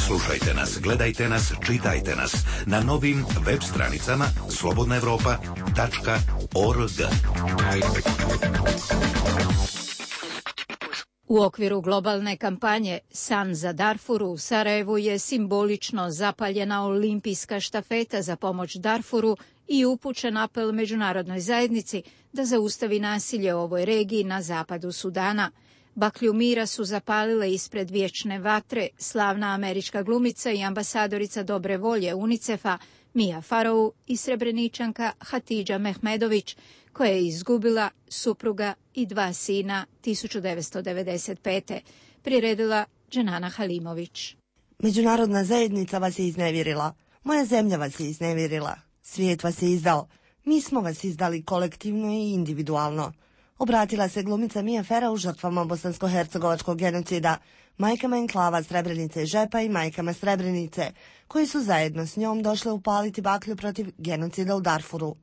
Slušajte nas, gledajte nas, čitajte nas na novim web stranicama slobodna evropa tačka org. U okviru globalne kampanje San za Darfuru u Sarajevu je simbolično zapaljena olimpijska štafeta za pomoć Darfuru i upućen apel međunarodnoj zajednici da zaustavi nasilje u ovoj regiji na zapadu Sudana. Baklju mira su zapalile ispred vječne vatre slavna američka glumica i ambasadorica dobre volje UNICEF-a Mia Farrow i Srebreničanka Hatidža Mehmedović, koja je izgubila supruga i dva sina tisuću devetsto devedeset pete. Priredila Dženana Halimović. Međunarodna zajednica vas je iznevjerila. Moja zemlja vas je iznevjerila. Svijet vas je izdao. Mi smo vas izdali kolektivno i individualno. Obratila se glumica Mia Farrow žrtvama bosansko-hercegovačkog genocida, majkama enklava Srebrenice i Žepa i majkama Srebrenice, koji su zajedno s njom došle upaliti baklju protiv genocida u Darfuru.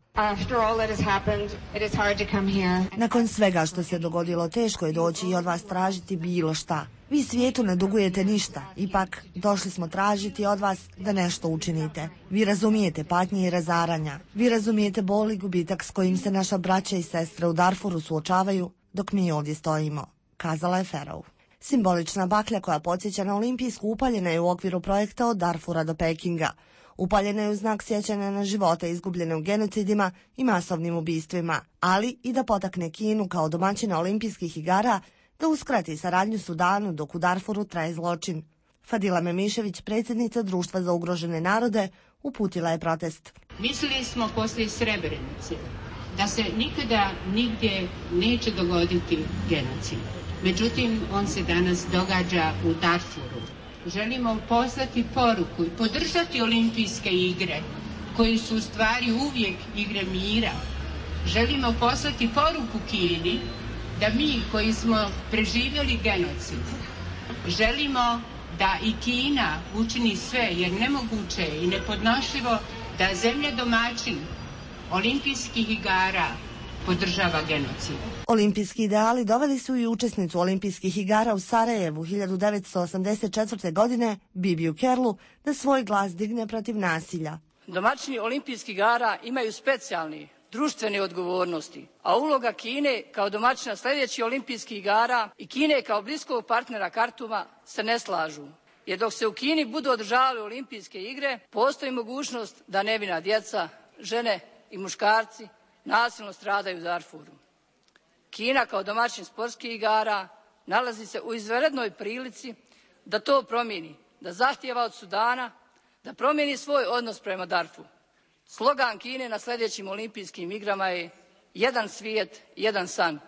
Nakon svega što se dogodilo, teško je doći i od vas tražiti bilo šta. Vi svijetu ne dugujete ništa, ipak došli smo tražiti od vas da nešto učinite. Vi razumijete patnje i razaranja. Vi razumijete bol i gubitak s kojim se naša braća i sestre u Darfuru suočavaju. dok mi ovdje stojimo, kazala je Ferov. Simbolična baklja koja podsjeća na olimpijsku upaljena je u okviru projekta od Darfura do Pekinga. Upaljena je u znak sjećanja na živote izgubljene u genocidima i masovnim ubistvima, ali i da potakne Kinu kao domaćina olimpijskih igara da uskrati saradnju Sudanu dok u Darfuru traje zločin. Fadila Memišević, predsjednica Društva za ugrožene narode, uputila je protest. Mislili smo poslije Srebrenice da se nikada nigdje neće dogoditi genocid. Međutim, on se danas događa u Darfuru. Želimo poslati poruku i podržati olimpijske igre, koje su u stvari uvijek igre mira. Želimo poslati poruku Kini da mi koji smo preživjeli genocid, želimo da i Kina učini sve, jer nemoguće je i nepodnošljivo da zemlja domaćin olimpijskih igara podržava genocid. Olimpijski ideali doveli su i učesnicu olimpijskih igara u Sarajevu hiljadu devetsto osamdeset četvrte. godine, Bibiju Kerlu, da svoj glas digne protiv nasilja. Domaćini olimpijskih igara imaju specijalni društvene odgovornosti, a uloga Kine kao domaćina sljedećih olimpijskih igara i Kine kao bliskog partnera Kartuma se ne slažu. Jer dok se u Kini budu održavale olimpijske igre, postoji mogućnost da nevina djeca, žene i muškarci nasilno stradaju u Darfuru. Kina kao domaćin sportskih igara nalazi se u izvanrednoj prilici da to promijeni, da zahtijeva od Sudana da promijeni svoj odnos prema Darfuru. Slogan Kine na sljedećim olimpijskim igrama je jedan svijet, jedan san.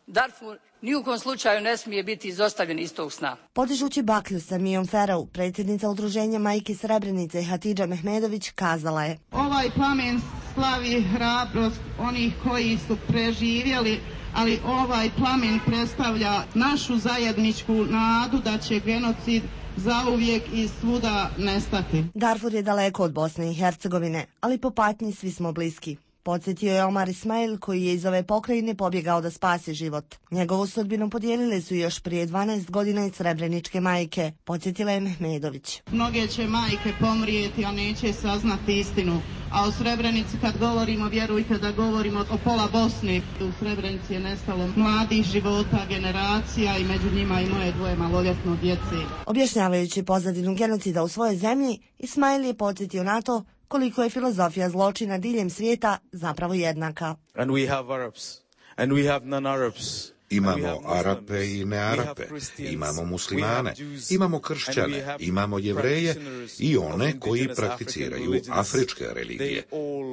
Darfur ni u kom slučaju ne smije biti izostavljen iz tog sna. Podižući baklju sa Mijom Ferov, predsjednica udruženja Majki Srebrenice Hatidža Mehmedović kazala je: Ovaj plamen slavi hrabrost onih koji su preživjeli, ali ovaj plamen predstavlja našu zajedničku nadu da će genocid zauvijek i svuda nestati. Darfur je daleko od Bosne i Hercegovine, ali po patnji svi smo bliski. Podsjetio je Omar Ismail, koji je iz ove pokrajine pobjegao da spasi život. Njegovu sudbinu podijelile su još prije dvanaest godina i srebreničke majke, podsjetila je Mehmedović. Mnoge će majke pomrijeti, a neće saznati istinu. A o Srebrenici kad govorimo, vjerujte da govorimo o pola Bosne. U Srebrenici je nestalo mladih života, generacija i među njima i moje dvoje maloljetno djece. Objašnjavajući pozadinu genocida u svojoj zemlji, Ismail je podsjetio na to koliko je filozofija zločina diljem svijeta zapravo jednaka. And we have Arabs, and we have non-Arabs. Imamo Arape i nearape, imamo muslimane, imamo kršćane, imamo jevreje i one koji prakticiraju afričke religije.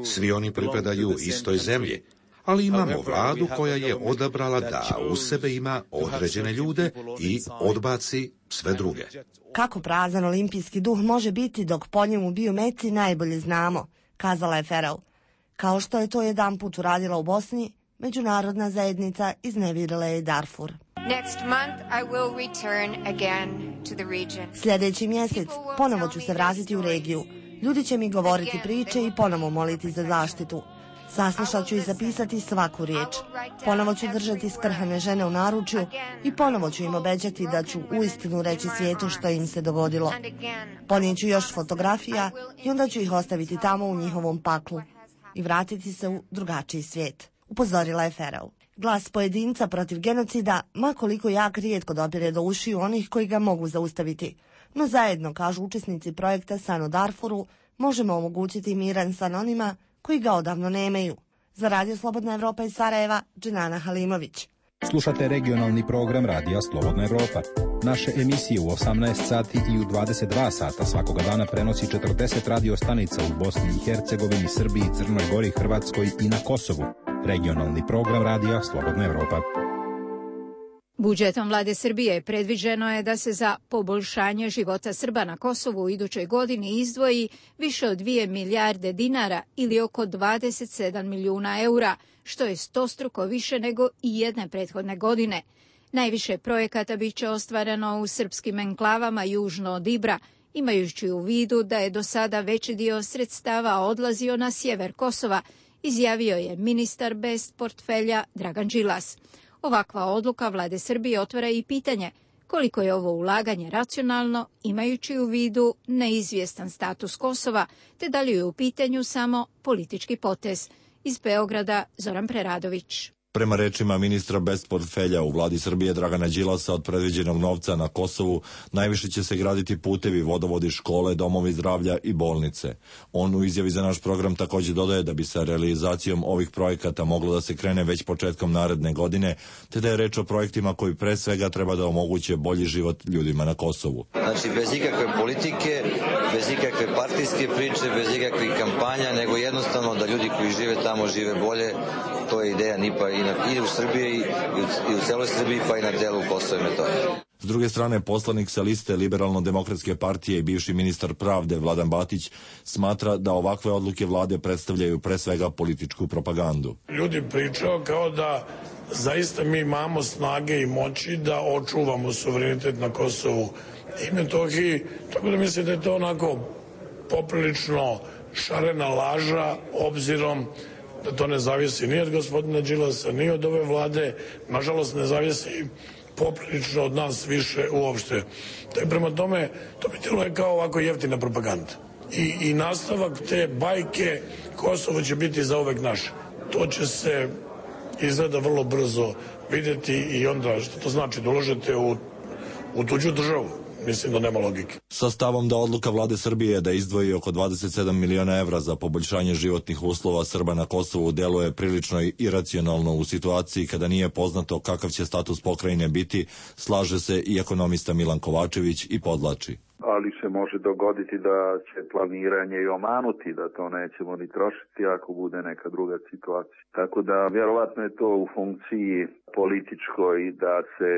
Svi oni pripadaju istoj zemlji, ali imamo vladu koja je odabrala da u sebe ima određene ljude i odbaci sve druge. Kako prazan olimpijski duh može biti dok po njemu biju meci najbolje znamo, kazala je Ferov. Kao što je to jedan put uradila u Bosni, međunarodna zajednica iznevjerila je Darfur. Next month I will return again to the region. Sljedeći mjesec ponovo ću se vratiti u regiju. Ljudi će mi govoriti priče i ponovo moliti za zaštitu. Saslušat ću i zapisati svaku riječ. Ponovo ću držati skrhane žene u naručju i ponovo ću im obećati da ću uistinu reći svijetu što im se dogodilo. Ponijet ću još fotografija i onda ću ih ostaviti tamo u njihovom paklu i vratiti se u drugačiji svijet, upozorila je Ferov. Glas pojedinca protiv genocida, ma koliko jak, rijetko dopire do ušiju onih koji ga mogu zaustaviti. No zajedno, kažu učesnici projekta San u Darfuru, možemo omogućiti miran san onima koji ga odavno nemaju. Za Radio Slobodna Evropa iz Sarajeva, Dženana Halimović. Slušate regionalni program Radija Slobodna Evropa. Naše emisije u osamnaest sati i u dvadeset dva sata svakoga dana prenosi četrdeset radio stanica u Bosni i Hercegovini, Srbiji, Crnoj Gori, Hrvatskoj i na Kosovu. Regionalni program Radija Slobodna Evropa. Budžetom vlade Srbije predviđeno je da se za poboljšanje života Srba na Kosovu u idućoj godini izdvoji više od dvije milijarde dinara ili oko dvadeset sedam milijuna eura, što je stostruko više nego i jedne prethodne godine. Najviše projekata biće ostvareno u srpskim enklavama južno od Ibra, imajući u vidu da je do sada veći dio sredstava odlazio na sjever Kosova, izjavio je ministar bez portfelja Dragan Đilas. Ovakva odluka vlade Srbije otvara i pitanje koliko je ovo ulaganje racionalno, imajući u vidu neizvjestan status Kosova, te da li je u pitanju samo politički potez. Iz Beograda, Zoran Preradović. Prema rečima ministra bez portfelja u vladi Srbije Dragana Đilasa, od predviđenog novca na Kosovu najviše će se graditi putevi, vodovodi, škole, domovi zdravlja i bolnice. On u izjavi za naš program također dodaje da bi sa realizacijom ovih projekata moglo da se krene već početkom naredne godine, te da je reč o projektima koji pre svega treba da omoguće bolji život ljudima na Kosovu. Znači bez ikakve politike, bez ikakve partijske priče, bez ikakvih kampanja, nego jednostavno da ljudi koji žive tamo žive bolje. To je ideja N I P A i, na, i u Srbiji i u, i u celoj Srbiji, pa i na delu Kosova i Metohije. S druge strane, poslanik sa liste Liberalno-demokratske partije i bivši ministar pravde Vladan Batić smatra da ovakve odluke vlade predstavljaju pre svega političku propagandu. Ljudi pričaju kao da zaista mi imamo snage i moći da očuvamo suverenitet na Kosovu i Metohiji, tako da mislim da je to onako poprilično šarena laža, obzirom da to ne zavisi ni od gospodina Đilasa, ni od ove vlade, nažalost ne zavisi poprilično od nas više uopšte. To je prema tome, to bi tijelo je kao ovako jeftina propaganda. I, I nastavak te bajke Kosovo će biti zauvek naše. To će se izgleda vrlo brzo vidjeti i onda što to znači da uložite u, u tuđu državu. Mislim da nema logike. Sa stavom da odluka vlade Srbije da izdvoji oko dvadeset sedam miliona evra za poboljšanje životnih uslova Srba na Kosovu deluje prilično iracionalno u situaciji kada nije poznato kakav će status pokrajine biti, slaže se i ekonomista Milan Kovačević i podlači. Ali se može dogoditi da će planiranje i omanuti, da to nećemo ni trošiti ako bude neka druga situacija. Tako da vjerovatno je to u funkciji političkoj da se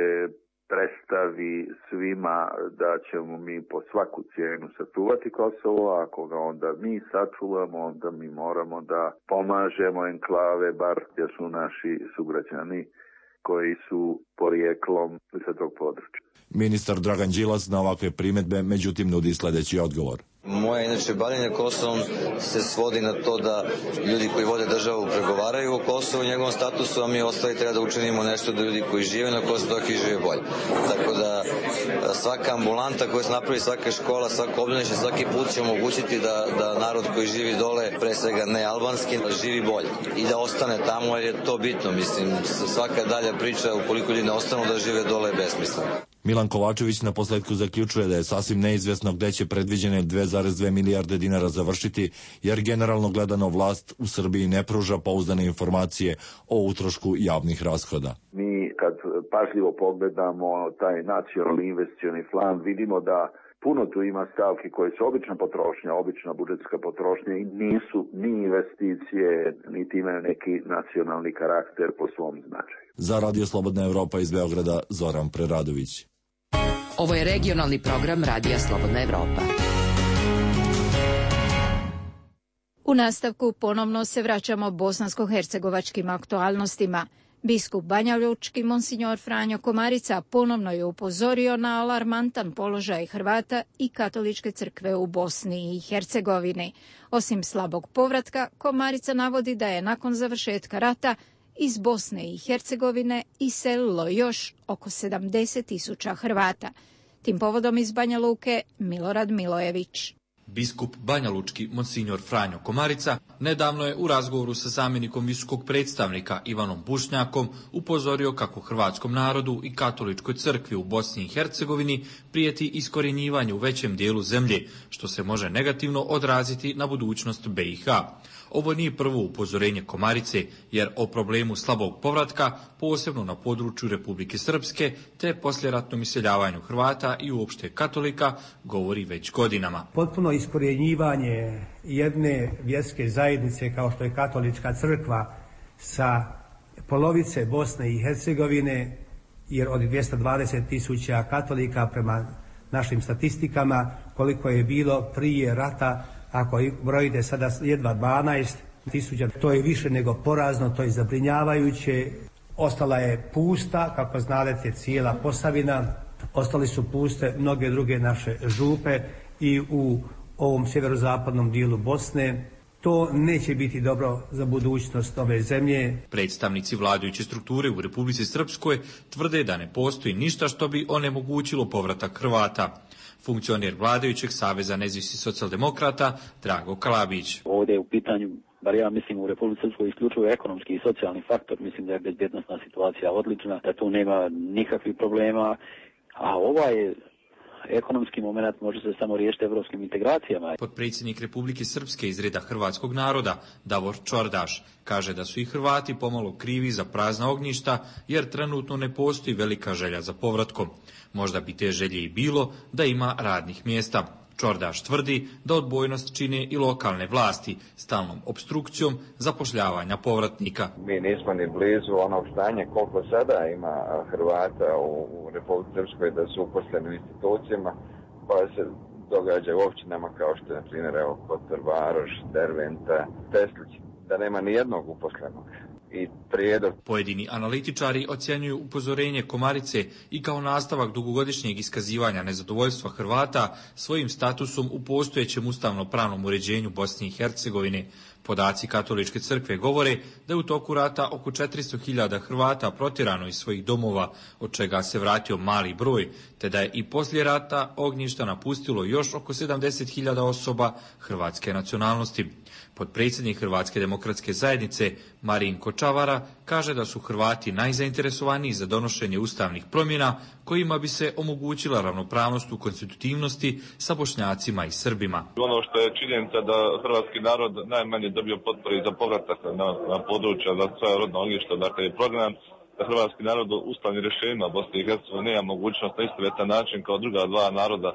predstavi svima da ćemo mi po svaku cijenu sačuvati Kosovo, a ako ga onda mi sačuvamo, onda mi moramo da pomažemo enklave, bar gdje su naši sugrađani koji su porijeklom sa tog područja. Ministar Dragan Đilas na ovakve primjedbe međutim nudi sljedeći odgovor. Moje inače bavljenje Kosovom se svodi na to da ljudi koji vode državu pregovaraju o Kosovu i njegovom statusu, a mi ostali treba da učinimo nešto da ljudi koji žive na Kosovu dok i žive bolje. Tako da svaka ambulanta koja se napravi, svaka škola, svako obdanište, svaki put će omogućiti da, da narod koji živi dole, pre svega ne albanski, živi bolje i da ostane tamo jer je to bitno. Mislim, svaka dalja priča ukoliko ljudi ne ostanu da žive dole je besmislena. Milan Kovačević na posledku zaključuje da je sasvim neizvjesno gde će predviđene dve zarez dve milijarde dinara završiti, jer generalno gledano vlast u Srbiji ne pruža pouzdane informacije o utrošku javnih rashoda. Mi kad pažljivo pogledamo taj nacionalni investicioni plan, vidimo da puno tu ima stavki koje su obična potrošnja, obična budžetska potrošnja i nisu ni investicije, niti imaju neki nacionalni karakter po svom značaju. Za Radio Slobodna Evropa iz Beograda, Zoran Preradović. Ovo je regionalni program Radija Slobodna Evropa. U nastavku ponovno se vraćamo bosansko-hercegovačkim aktualnostima. Biskup Banjalučki, monsignor Franjo Komarica, ponovno je upozorio na alarmantan položaj Hrvata i katoličke crkve u Bosni i Hercegovini. Osim slabog povratka, Komarica navodi da je nakon završetka rata iz Bosne i Hercegovine iselilo još oko sedamdeset tisuća Hrvata. Tim povodom iz Banja Luke Milorad Milojević. Biskup Banjalučki, monsignor Franjo Komarica, nedavno je u razgovoru sa zamjenikom visokog predstavnika Ivanom Bušnjakom upozorio kako hrvatskom narodu i katoličkoj crkvi u Bosni i Hercegovini prijeti iskorjenjivanje u većem dijelu zemlje, što se može negativno odraziti na budućnost B i H. Ovo nije prvo upozorenje Komarice, jer o problemu slabog povratka, posebno na području Republike Srpske, te poslijeratnom iseljavanju Hrvata i uopšte katolika, govori već godinama. Potpuno iskorjenjivanje jedne vjerske zajednice kao što je katolička crkva sa polovice Bosne i Hercegovine, jer od dvjesto dvadeset tisuća katolika prema našim statistikama, koliko je bilo prije rata, ako brojite sada jedva dvanaest tisuća, to je više nego porazno, to je zabrinjavajuće. Ostala je pusta, kako znate, cijela Posavina, ostali su puste mnoge druge naše župe i u ovom sjeverozapadnom dijelu Bosne. To neće biti dobro za budućnost ove zemlje. Predstavnici vladajuće strukture u Republici Srpskoj tvrde da ne postoji ništa što bi onemogućilo povratak Hrvata. Funkcioner vladajućeg Saveza nezavisnih socijaldemokrata Drago Kalabić. Ovdje je u pitanju, bar ja mislim, u Republici Srpskoj isključivo ekonomski i socijalni faktor. Mislim da je bezbjednosna situacija odlična, da tu nema nikakvih problema, a ovaj je ekonomski moment može se samo riješiti evropskim integracijama. Potpredsjednik Republike Srpske iz reda hrvatskog naroda, Davor Čordaš, kaže da su i Hrvati pomalo krivi za prazna ognjišta, jer trenutno ne postoji velika želja za povratkom. Možda bi te želje i bilo da ima radnih mjesta. Čordaš tvrdi da odbojnost čine i lokalne vlasti stalnom opstrukcijom zapošljavanja povratnika. Mi nismo ni blizu onog stanja koliko sada ima Hrvata u Republici Srpskoj da su uposleni u institucijama, pa se događa u općinama kao što je, na primjer, evo, Kotor, Varoš, Derventa, Teslić, da nema ni jednog uposlenog. I prijedlog. Pojedini analitičari ocjenjuju upozorenje Komarice i kao nastavak dugogodišnjeg iskazivanja nezadovoljstva Hrvata svojim statusom u postojećem ustavno-pravnom uređenju Bosne i Hercegovine. Podaci Katoličke crkve govore da je u toku rata oko četiristo hiljada Hrvata protjerano iz svojih domova, od čega se vratio mali broj, te da je i poslije rata ognjišta napustilo još oko sedamdeset hiljada osoba hrvatske nacionalnosti. Potpredsjednik Hrvatske demokratske zajednice Marinko Čavara kaže da su Hrvati najzainteresovaniji za donošenje ustavnih promjena kojima bi se omogućila ravnopravnost u konstitutivnosti sa Bošnjacima i Srbima. Ono što je činjenica da hrvatski narod najmanje dobio potpore za povratak na, na područja za svoja rodna ognjišta, dakle je program da hrvatski narod u ustavnim rješenjima Bosne i Hercegovine nema mogućnost na istovjetan način kao druga dva naroda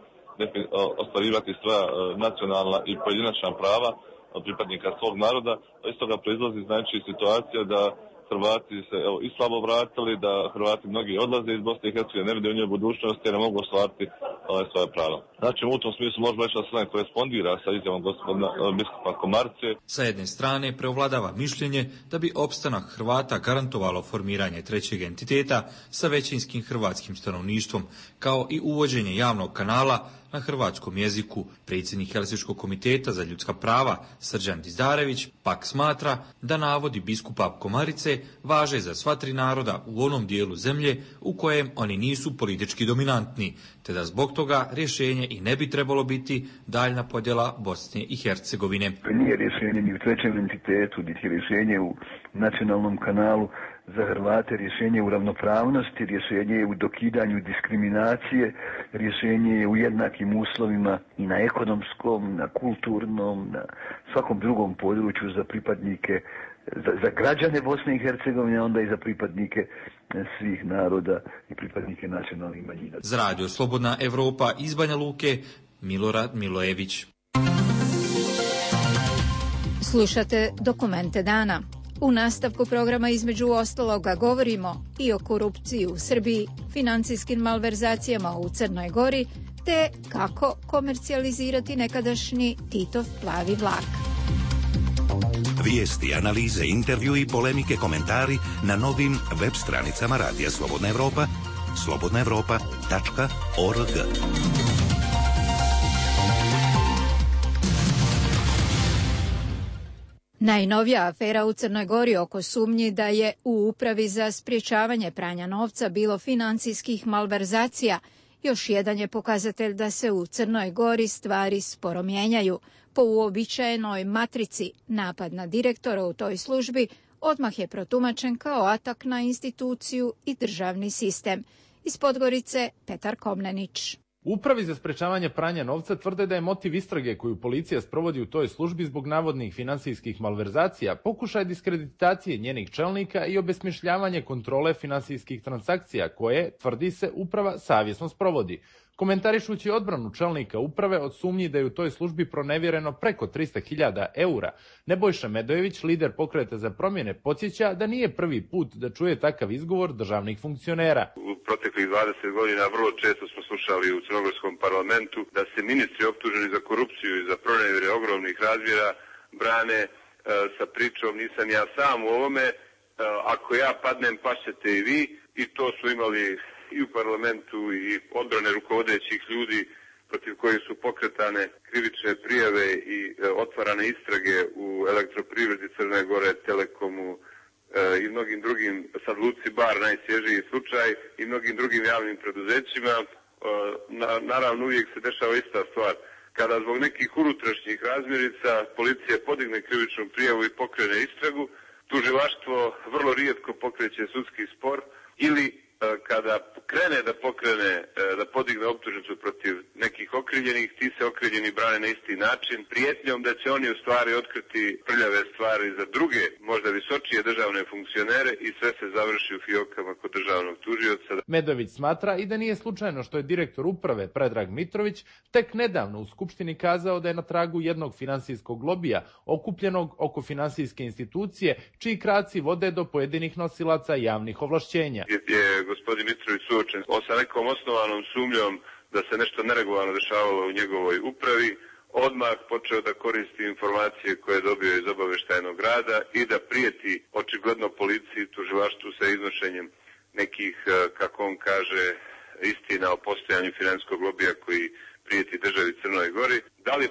ostvarivati svoja nacionalna i pojedinačna prava pripadnika svog naroda. Iz toga proizlazi znači situacija da Hrvati se evo, i slabo vratili, da Hrvati mnogi odlaze iz Bosne i Hercegovine, ne vide u njoj budućnosti jer ne mogu ostvariti ovaj, svoje prava. Znači u tom smislu možemo reći da se ne korespondira sa izjavom gospodina biskupa Komarce. Sa jedne strane preovladava mišljenje da bi opstanak Hrvata garantovalo formiranje trećeg entiteta sa većinskim hrvatskim stanovništvom, kao i uvođenje javnog kanala na hrvatskom jeziku. Predsjednik Helsinškog komiteta za ljudska prava Srđan Dizdarević pak smatra da navodi biskupa Komarice važe za sva tri naroda u onom dijelu zemlje u kojem oni nisu politički dominantni, te da zbog toga rješenje i ne bi trebalo biti daljna podjela Bosne i Hercegovine. Nije rješenje ni u trećem entitetu, niti rješenje u nacionalnom kanalu za Hrvate, rješenje u ravnopravnosti, rješenje je u dokidanju diskriminacije, rješenje je u jednakim uslovima i na ekonomskom, na kulturnom, na svakom drugom području za pripadnike, za, za građane Bosne i Hercegovine, onda i za pripadnike svih naroda i pripadnike nacionalnih manjina. Za Radio Slobodna Evropa iz Banja Luke, Milorad Milojević. Slušate Dokumente dana. U nastavku programa između ostaloga govorimo i o korupciji u Srbiji, financijskim malverzacijama u Crnoj Gori, te kako komercijalizirati nekadašnji Titov plavi vlak. Vijesti, analize, intervju i polemike, komentari na novim web stranicama Radija Slobodna Evropa, slobodna evropa tačka org. Najnovija afera u Crnoj Gori oko sumnji da je u Upravi za sprječavanje pranja novca bilo financijskih malverzacija još jedan je pokazatelj da se u Crnoj Gori stvari sporo mijenjaju. Po uobičajenoj matrici napad na direktora u toj službi odmah je protumačen kao atak na instituciju i državni sistem. Iz Podgorice Petar Komnenić. Upravi za sprečavanje pranja novca tvrde da je motiv istrage koju policija sprovodi u toj službi zbog navodnih finansijskih malverzacija pokušaj diskreditacije njenih čelnika i obesmišljavanje kontrole finansijskih transakcija koje, tvrdi se, uprava savjesno sprovodi. Komentarišući odbranu čelnika uprave od sumnji da je u toj službi pronevjereno preko trista hiljada eura, Nebojša Medojević, lider Pokreta za promjene, podsjeća da nije prvi put da čuje takav izgovor državnih funkcionera. U proteklih dvadeset godina vrlo često smo slušali u crnogorskom parlamentu da se ministri optuženi za korupciju i za pronevjere ogromnih razmjera brane e, sa pričom nisam ja sam u ovome, e, ako ja padnem pašćete i vi, i to su imali i u parlamentu i odbrane rukovodećih ljudi protiv kojih su pokretane krivične prijave i e, otvarane istrage u Elektroprivredi Crne Gore, Telekomu e, i mnogim drugim, sad Luci Bar najsvježiji slučaj, i mnogim drugim javnim preduzećima. E, na, naravno uvijek se dešava ista stvar. Kada zbog nekih unutrašnjih razmjerica policija podigne krivičnu prijavu i pokrene istragu, tužilaštvo vrlo rijetko pokreće sudski spor ili kada krene da pokrene, da podigne optužnicu protiv nekih okrivljenih, ti se okrivljeni brane na isti način, prijetnjom da će oni u stvari otkriti prljave stvari za druge, možda visočije državne funkcionere, i sve se završi u fijokama kod državnog tužioca. Medović smatra i da nije slučajno što je direktor uprave Predrag Mitrović tek nedavno u Skupštini kazao da je na tragu jednog finansijskog lobija okupljenog oko finansijske institucije, čiji kraci vode do pojedinih nosilaca javnih ovlašćenja. Je gospodin Mitrović suočen sa nekom osnovanom sumnjom da se nešto neregularno dešavalo u njegovoj upravi, odmah počeo da koristi informacije koje je dobio iz obaveštajnog rada i da prijeti očigledno policiji, tužilaštvu sa iznošenjem nekih, kako on kaže, istina o postojanju finansijskog lobija koji prijeti državi Crnoj Gori. Da li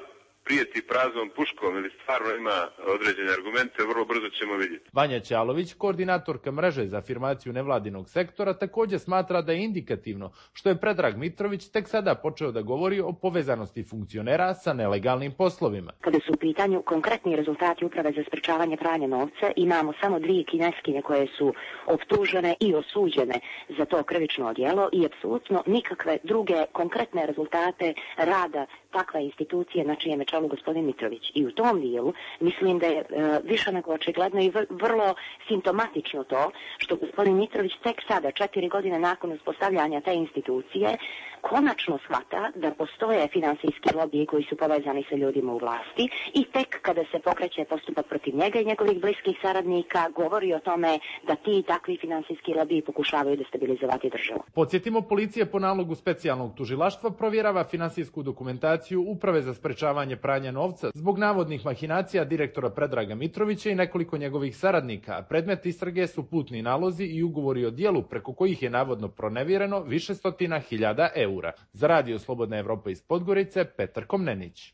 prijeti praznom puškom ili stvarno ima određene argumente, vrlo brzo ćemo vidjeti. Vanja Ćalović, koordinatorka mreže za afirmaciju nevladinog sektora, također smatra da je indikativno što je Predrag Mitrović tek sada počeo da govori o povezanosti funkcionera sa nelegalnim poslovima. Kada su u pitanju konkretni rezultati Uprave za sprečavanje pranja novca, imamo samo dvije kineskinje koje su optužene i osuđene za to krivično djelo i apsolutno nikakve druge konkretne rezultate rada takve institucije na čijem je čelu gospodin Mitrović. I u tom dijelu mislim da je e, više nego očigledno i vrlo simptomatično to što gospodin Mitrović tek sada, četiri godine nakon uspostavljanja te institucije, konačno shvata da postoje finansijski lobiji koji su povezani sa ljudima u vlasti i tek kada se pokreće postupak protiv njega i njegovih bliskih saradnika govori o tome da ti takvi finansijski lobiji pokušavaju destabilizovati državu. Podsjetimo, policija po nalogu specijalnog tužilaštva provjerava finansijsku dokumentaciju Uprave za sprečavanje pranja novca zbog navodnih mahinacija direktora Predraga Mitrovića i nekoliko njegovih saradnika. Predmet istrage su putni nalozi i ugovori o djelu preko kojih je navodno pronevjereno više stotina hiljada eura. Za Radio Slobodna Evropa iz Podgorice, Petar Komnenić.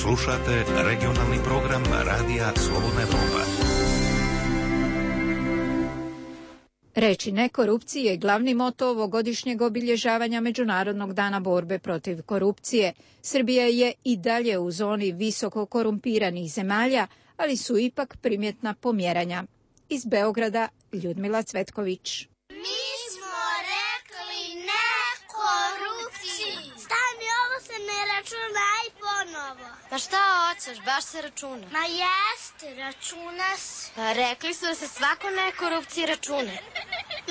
Slušate regionalni program Radija Slobodna Evropa. Reči ne korupciji je glavni moto ovogodišnjeg obilježavanja Međunarodnog dana borbe protiv korupcije. Srbija je i dalje u zoni visoko korumpiranih zemalja, ali su ipak primjetna pomjeranja. Iz Beograda, Ljudmila Cvetković. Mi smo rekli ne korupciji. Stani, ovo se ne računa i ponovo. Pa šta hoćeš, baš se računa. Ma jeste, računa se. Pa rekli su da se svako ne korupciji računa.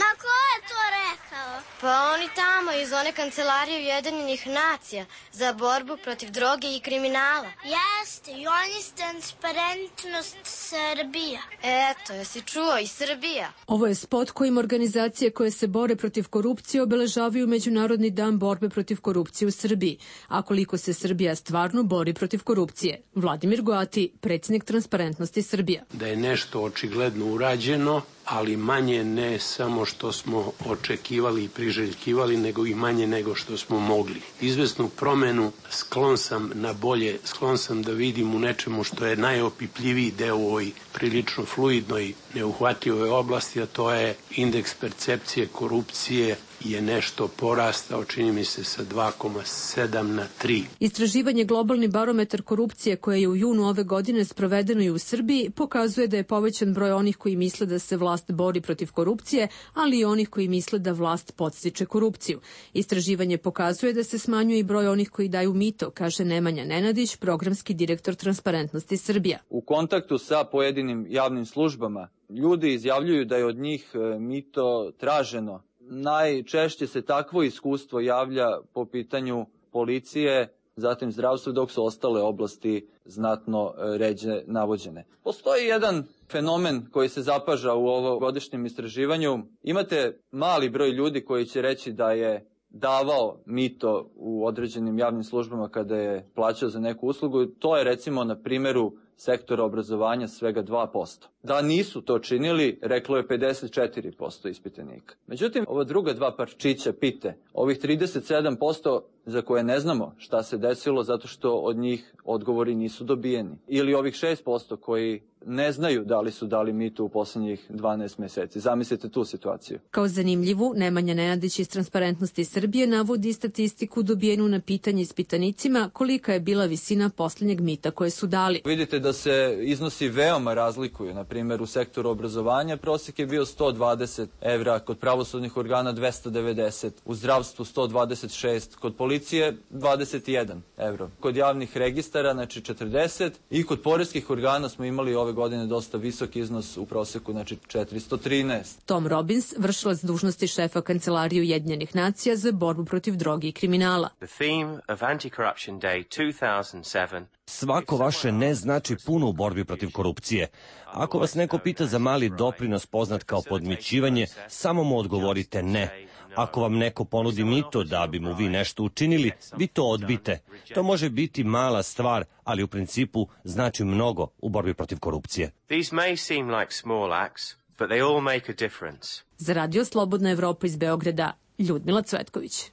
Ma ko je to rekao? Pa oni tamo iz one kancelarije Ujedinjenih nacija za borbu protiv droge i kriminala. Jeste, i oni s Transparentnost Srbija. Eto, jesi čuo, i Srbija. Ovo je spot kojim organizacije koje se bore protiv korupcije obeležavaju Međunarodni dan borbe protiv korupcije u Srbiji. A koliko se Srbija stvarno bori protiv korupcije? Vladimir Goati, predsjednik Transparentnosti Srbija. Da je nešto očigledno urađeno, ali manje ne samo što smo očekivali i priželjkivali, nego i manje nego što smo mogli. Izvesnu promenu sklon sam na bolje, sklon sam da vidim u nečemu što je najopipljiviji deo u ovoj prilično fluidnoj, neuhvatljivoj oblasti, a to je indeks percepcije korupcije je nešto porastao, čini mi se, sa dva zarez sedam na tri. Istraživanje Globalni barometar korupcije koje je u junu ove godine sprovedeno i u Srbiji pokazuje da je povećan broj onih koji misle da se vlast bori protiv korupcije, ali i onih koji misle da vlast podstiče korupciju. Istraživanje pokazuje da se smanjuje i broj onih koji daju mito, kaže Nemanja Nenadić, programski direktor Transparentnosti Srbija. U kontaktu sa pojedinim javnim službama ljudi izjavljuju da je od njih mito traženo. Najčešće se takvo iskustvo javlja po pitanju policije, zatim zdravstva, dok su ostale oblasti znatno ređe navođene. Postoji jedan fenomen koji se zapaža u ovogodišnjem istraživanju. Imate mali broj ljudi koji će reći da je davao mito u određenim javnim službama kada je plaćao za neku uslugu. To je recimo na primjeru sektora obrazovanja svega dva posto. Da nisu to činili, reklo je pedeset četiri posto ispitanika. Međutim, ova druga dva parčića pite, ovih trideset sedam posto za koje ne znamo šta se desilo zato što od njih odgovori nisu dobijeni. Ili ovih šest posto koji ne znaju da li su dali mito u posljednjih dvanaest mjeseci. Zamislite tu situaciju. Kao zanimljivu, Nemanja Nenadić iz Transparentnosti Srbije navodi statistiku dobijenu na pitanje ispitanicima kolika je bila visina posljednjeg mita koje su dali. Vidite da se iznosi veoma razlikuju. Na primjer, u sektoru obrazovanja prosjek je bio sto dvadeset evra, kod pravosudnih organa dvesta devedeset, u zdravstvu sto dvadeset šest, kod policije dvadeset jedan evro. Kod javnih registara, znači četrdeset, i kod poreskih organa smo imali ove godine dosta visok iznos u prosjeku, znači četiristo trinaest. Tom Robbins, vršilac dužnosti šefa Kancelarije Ujedinjenih nacija za borbu protiv droge i kriminala. The theme of Anti-Corruption Day two thousand seven. Svako vaše ne znači puno u borbi protiv korupcije. Ako vas neko pita za mali doprinos poznat kao podmićivanje, samo mu odgovorite ne. Ako vam neko ponudi mito da bi mu vi nešto učinili, vi to odbite. To može biti mala stvar, ali u principu znači mnogo u borbi protiv korupcije. These may seem like small acts, but they all make a difference. Za Radio Slobodna Evropa iz Beograda, Ljudmila Cvetković.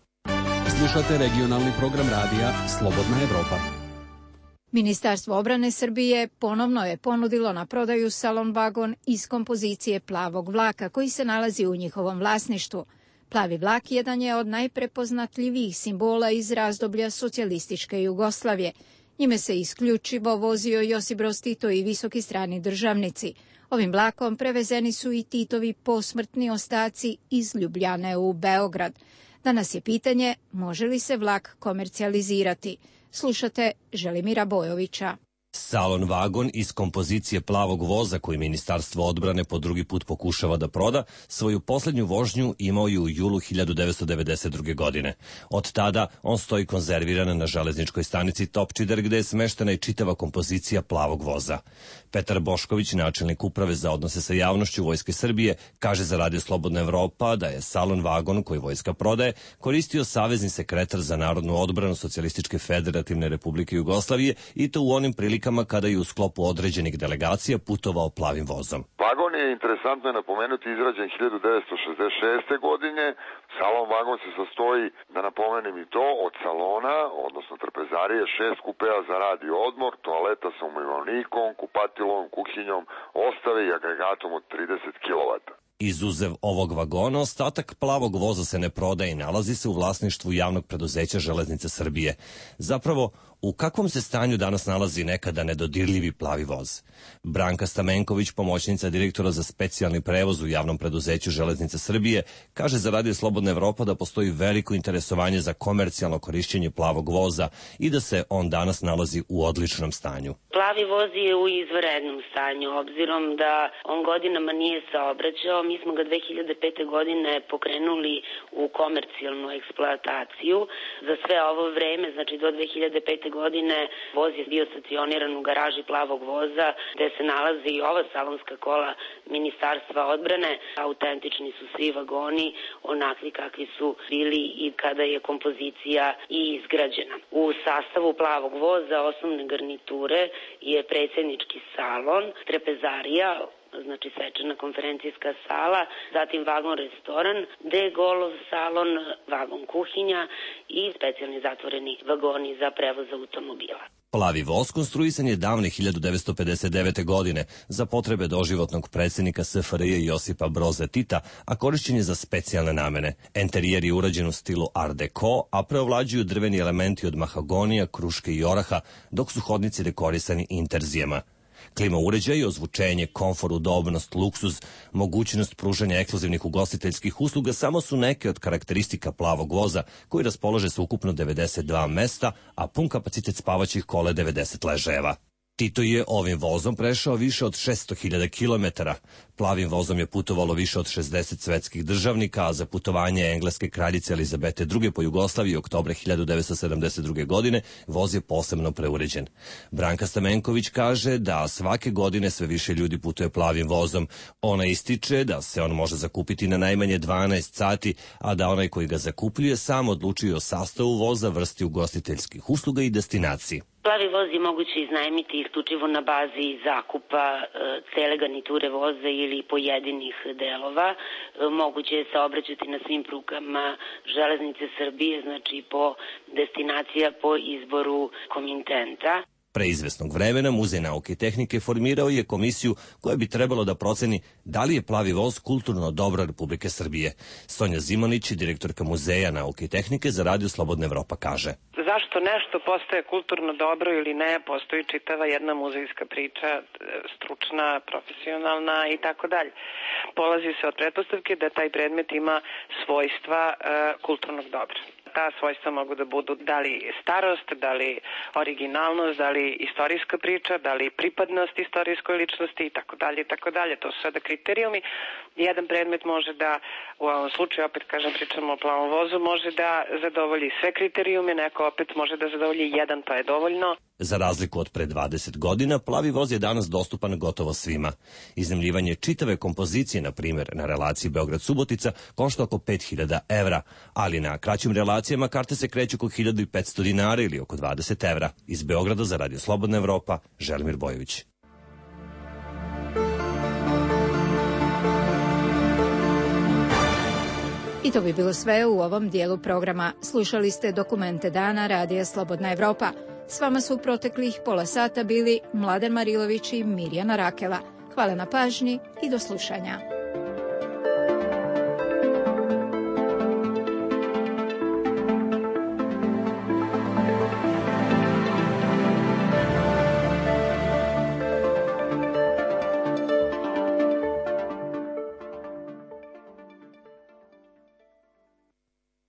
Slušate regionalni program radija Slobodna Evropa. Ministarstvo odbrane Srbije ponovno je ponudilo na prodaju salon vagon iz kompozicije plavog vlaka koji se nalazi u njihovom vlasništvu. Plavi vlak jedan je od najprepoznatljivijih simbola iz razdoblja socijalističke Jugoslavije. Njime se isključivo vozio Josip Broz Tito i visoki strani državnici. Ovim vlakom prevezeni su i Titovi posmrtni ostaci iz Ljubljane u Beograd. Danas je pitanje može li se vlak komercijalizirati. Slušate Želimira Bojovića. Salon vagon iz kompozicije plavog voza koji Ministarstvo odbrane po drugi put pokušava da proda, svoju posljednju vožnju imao je u julu hiljadu devetsto devedeset druge. godine. Od tada on stoji konzerviran na železničkoj stanici Topčider gde je smeštena i čitava kompozicija plavog voza. Petar Bošković, načelnik uprave za odnose sa javnošću Vojske Srbije, kaže za Radio Slobodna Evropa da je salon vagon koji vojska prodaje koristio savezni sekretar za narodnu odbranu Socijalističke federativne republike Jugoslavije i to u onim prilikama kada je u sklopu određenih delegacija putovao plavim vozom. Vagon je, interesantno je napomenuti, izrađen hiljadu devetsto šezdeset šeste. godine. Salon vagon se sastoji, da napomenem i to, od salona, odnosno trpezarije, šest kupea za rad i odmor, toaleta sa umivalnikom, kupatilom, kuhinjom, ostave i agregatom od trideset kilovata. Izuzev ovog vagona, ostatak plavog voza se ne prodaje i nalazi se u vlasništvu javnog preduzeća Železnice Srbije. Zapravo, u kakvom se stanju danas nalazi nekada nedodirljivi plavi voz? Branka Stamenković, pomoćnica direktora za specijalni prevoz u javnom preduzeću Železnice Srbije, kaže za Radio Slobodna Evropa da postoji veliko interesovanje za komercijalno korišćenje plavog voza i da se on danas nalazi u odličnom stanju. Plavi voz je u izvanrednom stanju, obzirom da on godinama nije saobraćao. Mi smo ga dve hiljade pete. godine pokrenuli u komercijalnu eksploataciju. Za sve ovo vreme, znači do dve hiljade pete. godine, voz je bio stacioniran u garaži plavog voza, gde se nalazi i ova salonska kola Ministarstva odbrane. Autentični su svi vagoni, onakvi kakvi su bili i kada je kompozicija i izgrađena. U sastavu plavog voza osnovne garniture je predsjednički salon, trepezarija, znači svečana konferencijska sala, zatim vagon restoran, de-golov salon, vagon kuhinja i specijalni zatvoreni vagoni za prevoz automobila. Plavi voz konstruisan je davne hiljadu devetsto pedeset devete. godine za potrebe doživotnog predsjednika S F R J Josipa Broza Tita, a korišćen je za specijalne namene. Enterijer je urađen u stilu Art Deco, a preovlađuju drveni elementi od mahagonija, kruške i oraha, dok su hodnici dekorisani interzijama. Klima uređaj, ozvučenje, komfor, udobnost, luksuz, mogućnost pružanja ekskluzivnih ugostiteljskih usluga samo su neke od karakteristika plavog voza koji raspolaže sa ukupno devedeset dva mesta, a pun kapacitet spavaćih kola devedeset ležajeva. Tito je ovim vozom prešao više od šesto hiljada kilometara. Plavim vozom je putovalo više od šezdeset svetskih državnika, a za putovanje engleske kraljice Elizabete druge. po Jugoslaviji oktobra hiljadu devetsto sedamdeset druge. godine voz je posebno preuređen. Branka Stamenković kaže da svake godine sve više ljudi putuje plavim vozom. Ona ističe da se on može zakupiti na najmanje dvanaest sati, a da onaj koji ga zakupljuje sam odlučuje o sastavu voza, vrsti ugostiteljskih usluga i destinaciji. Plavi voz je moguće iznajmiti isključivo na bazi zakupa e, cele garniture voza ili pojedinih delova. E, moguće je saobraćati na svim prugama Železnice Srbije, znači po destinacija po izboru komitenta. Pre izvesnog vremena Muzej nauke i tehnike formirao je komisiju koja bi trebalo da proceni da li je plavi voz kulturno dobro Republike Srbije. Sonja Zimanić, direktorka Muzeja nauke i tehnike za Radio Slobodna Evropa, kaže: Zašto nešto postaje kulturno dobro ili ne, postoji čitava jedna muzejska priča, stručna, profesionalna i tako dalje. Polazi se od pretpostavke da taj predmet ima svojstva e, kulturnog dobra. Ta svojstva mogu da budu da li starost, da li originalnost, da li istorijska priča, da li pripadnost istorijskoj ličnosti i tako dalje i tako dalje. To su sada kriterijumi. Jedan predmet može da, u ovom slučaju, opet kažem, pričamo o plavom vozu, može da zadovolji sve kriterijume, neko opet može da zadovolji jedan, pa je dovoljno. Za razliku od pre dvadeset godina, plavi voz je danas dostupan gotovo svima. Iznajmljivanje čitave kompozicije, na primjer, na relaciji Beograd-Subotica, košta oko pet hiljada evra, ali na kraćim relacijama karte se kreću oko hiljadu petsto dinara ili oko dvadeset evra. Iz Beograda za Radio Slobodna Evropa, Želimir Bojović. I to bi bilo sve u ovom dijelu programa. Slušali ste Dokumente dana Radija Slobodna Evropa. S vama su u proteklih pola sata bili Mladen Marilović i Mirjana Rakela. Hvala na pažnji i do slušanja.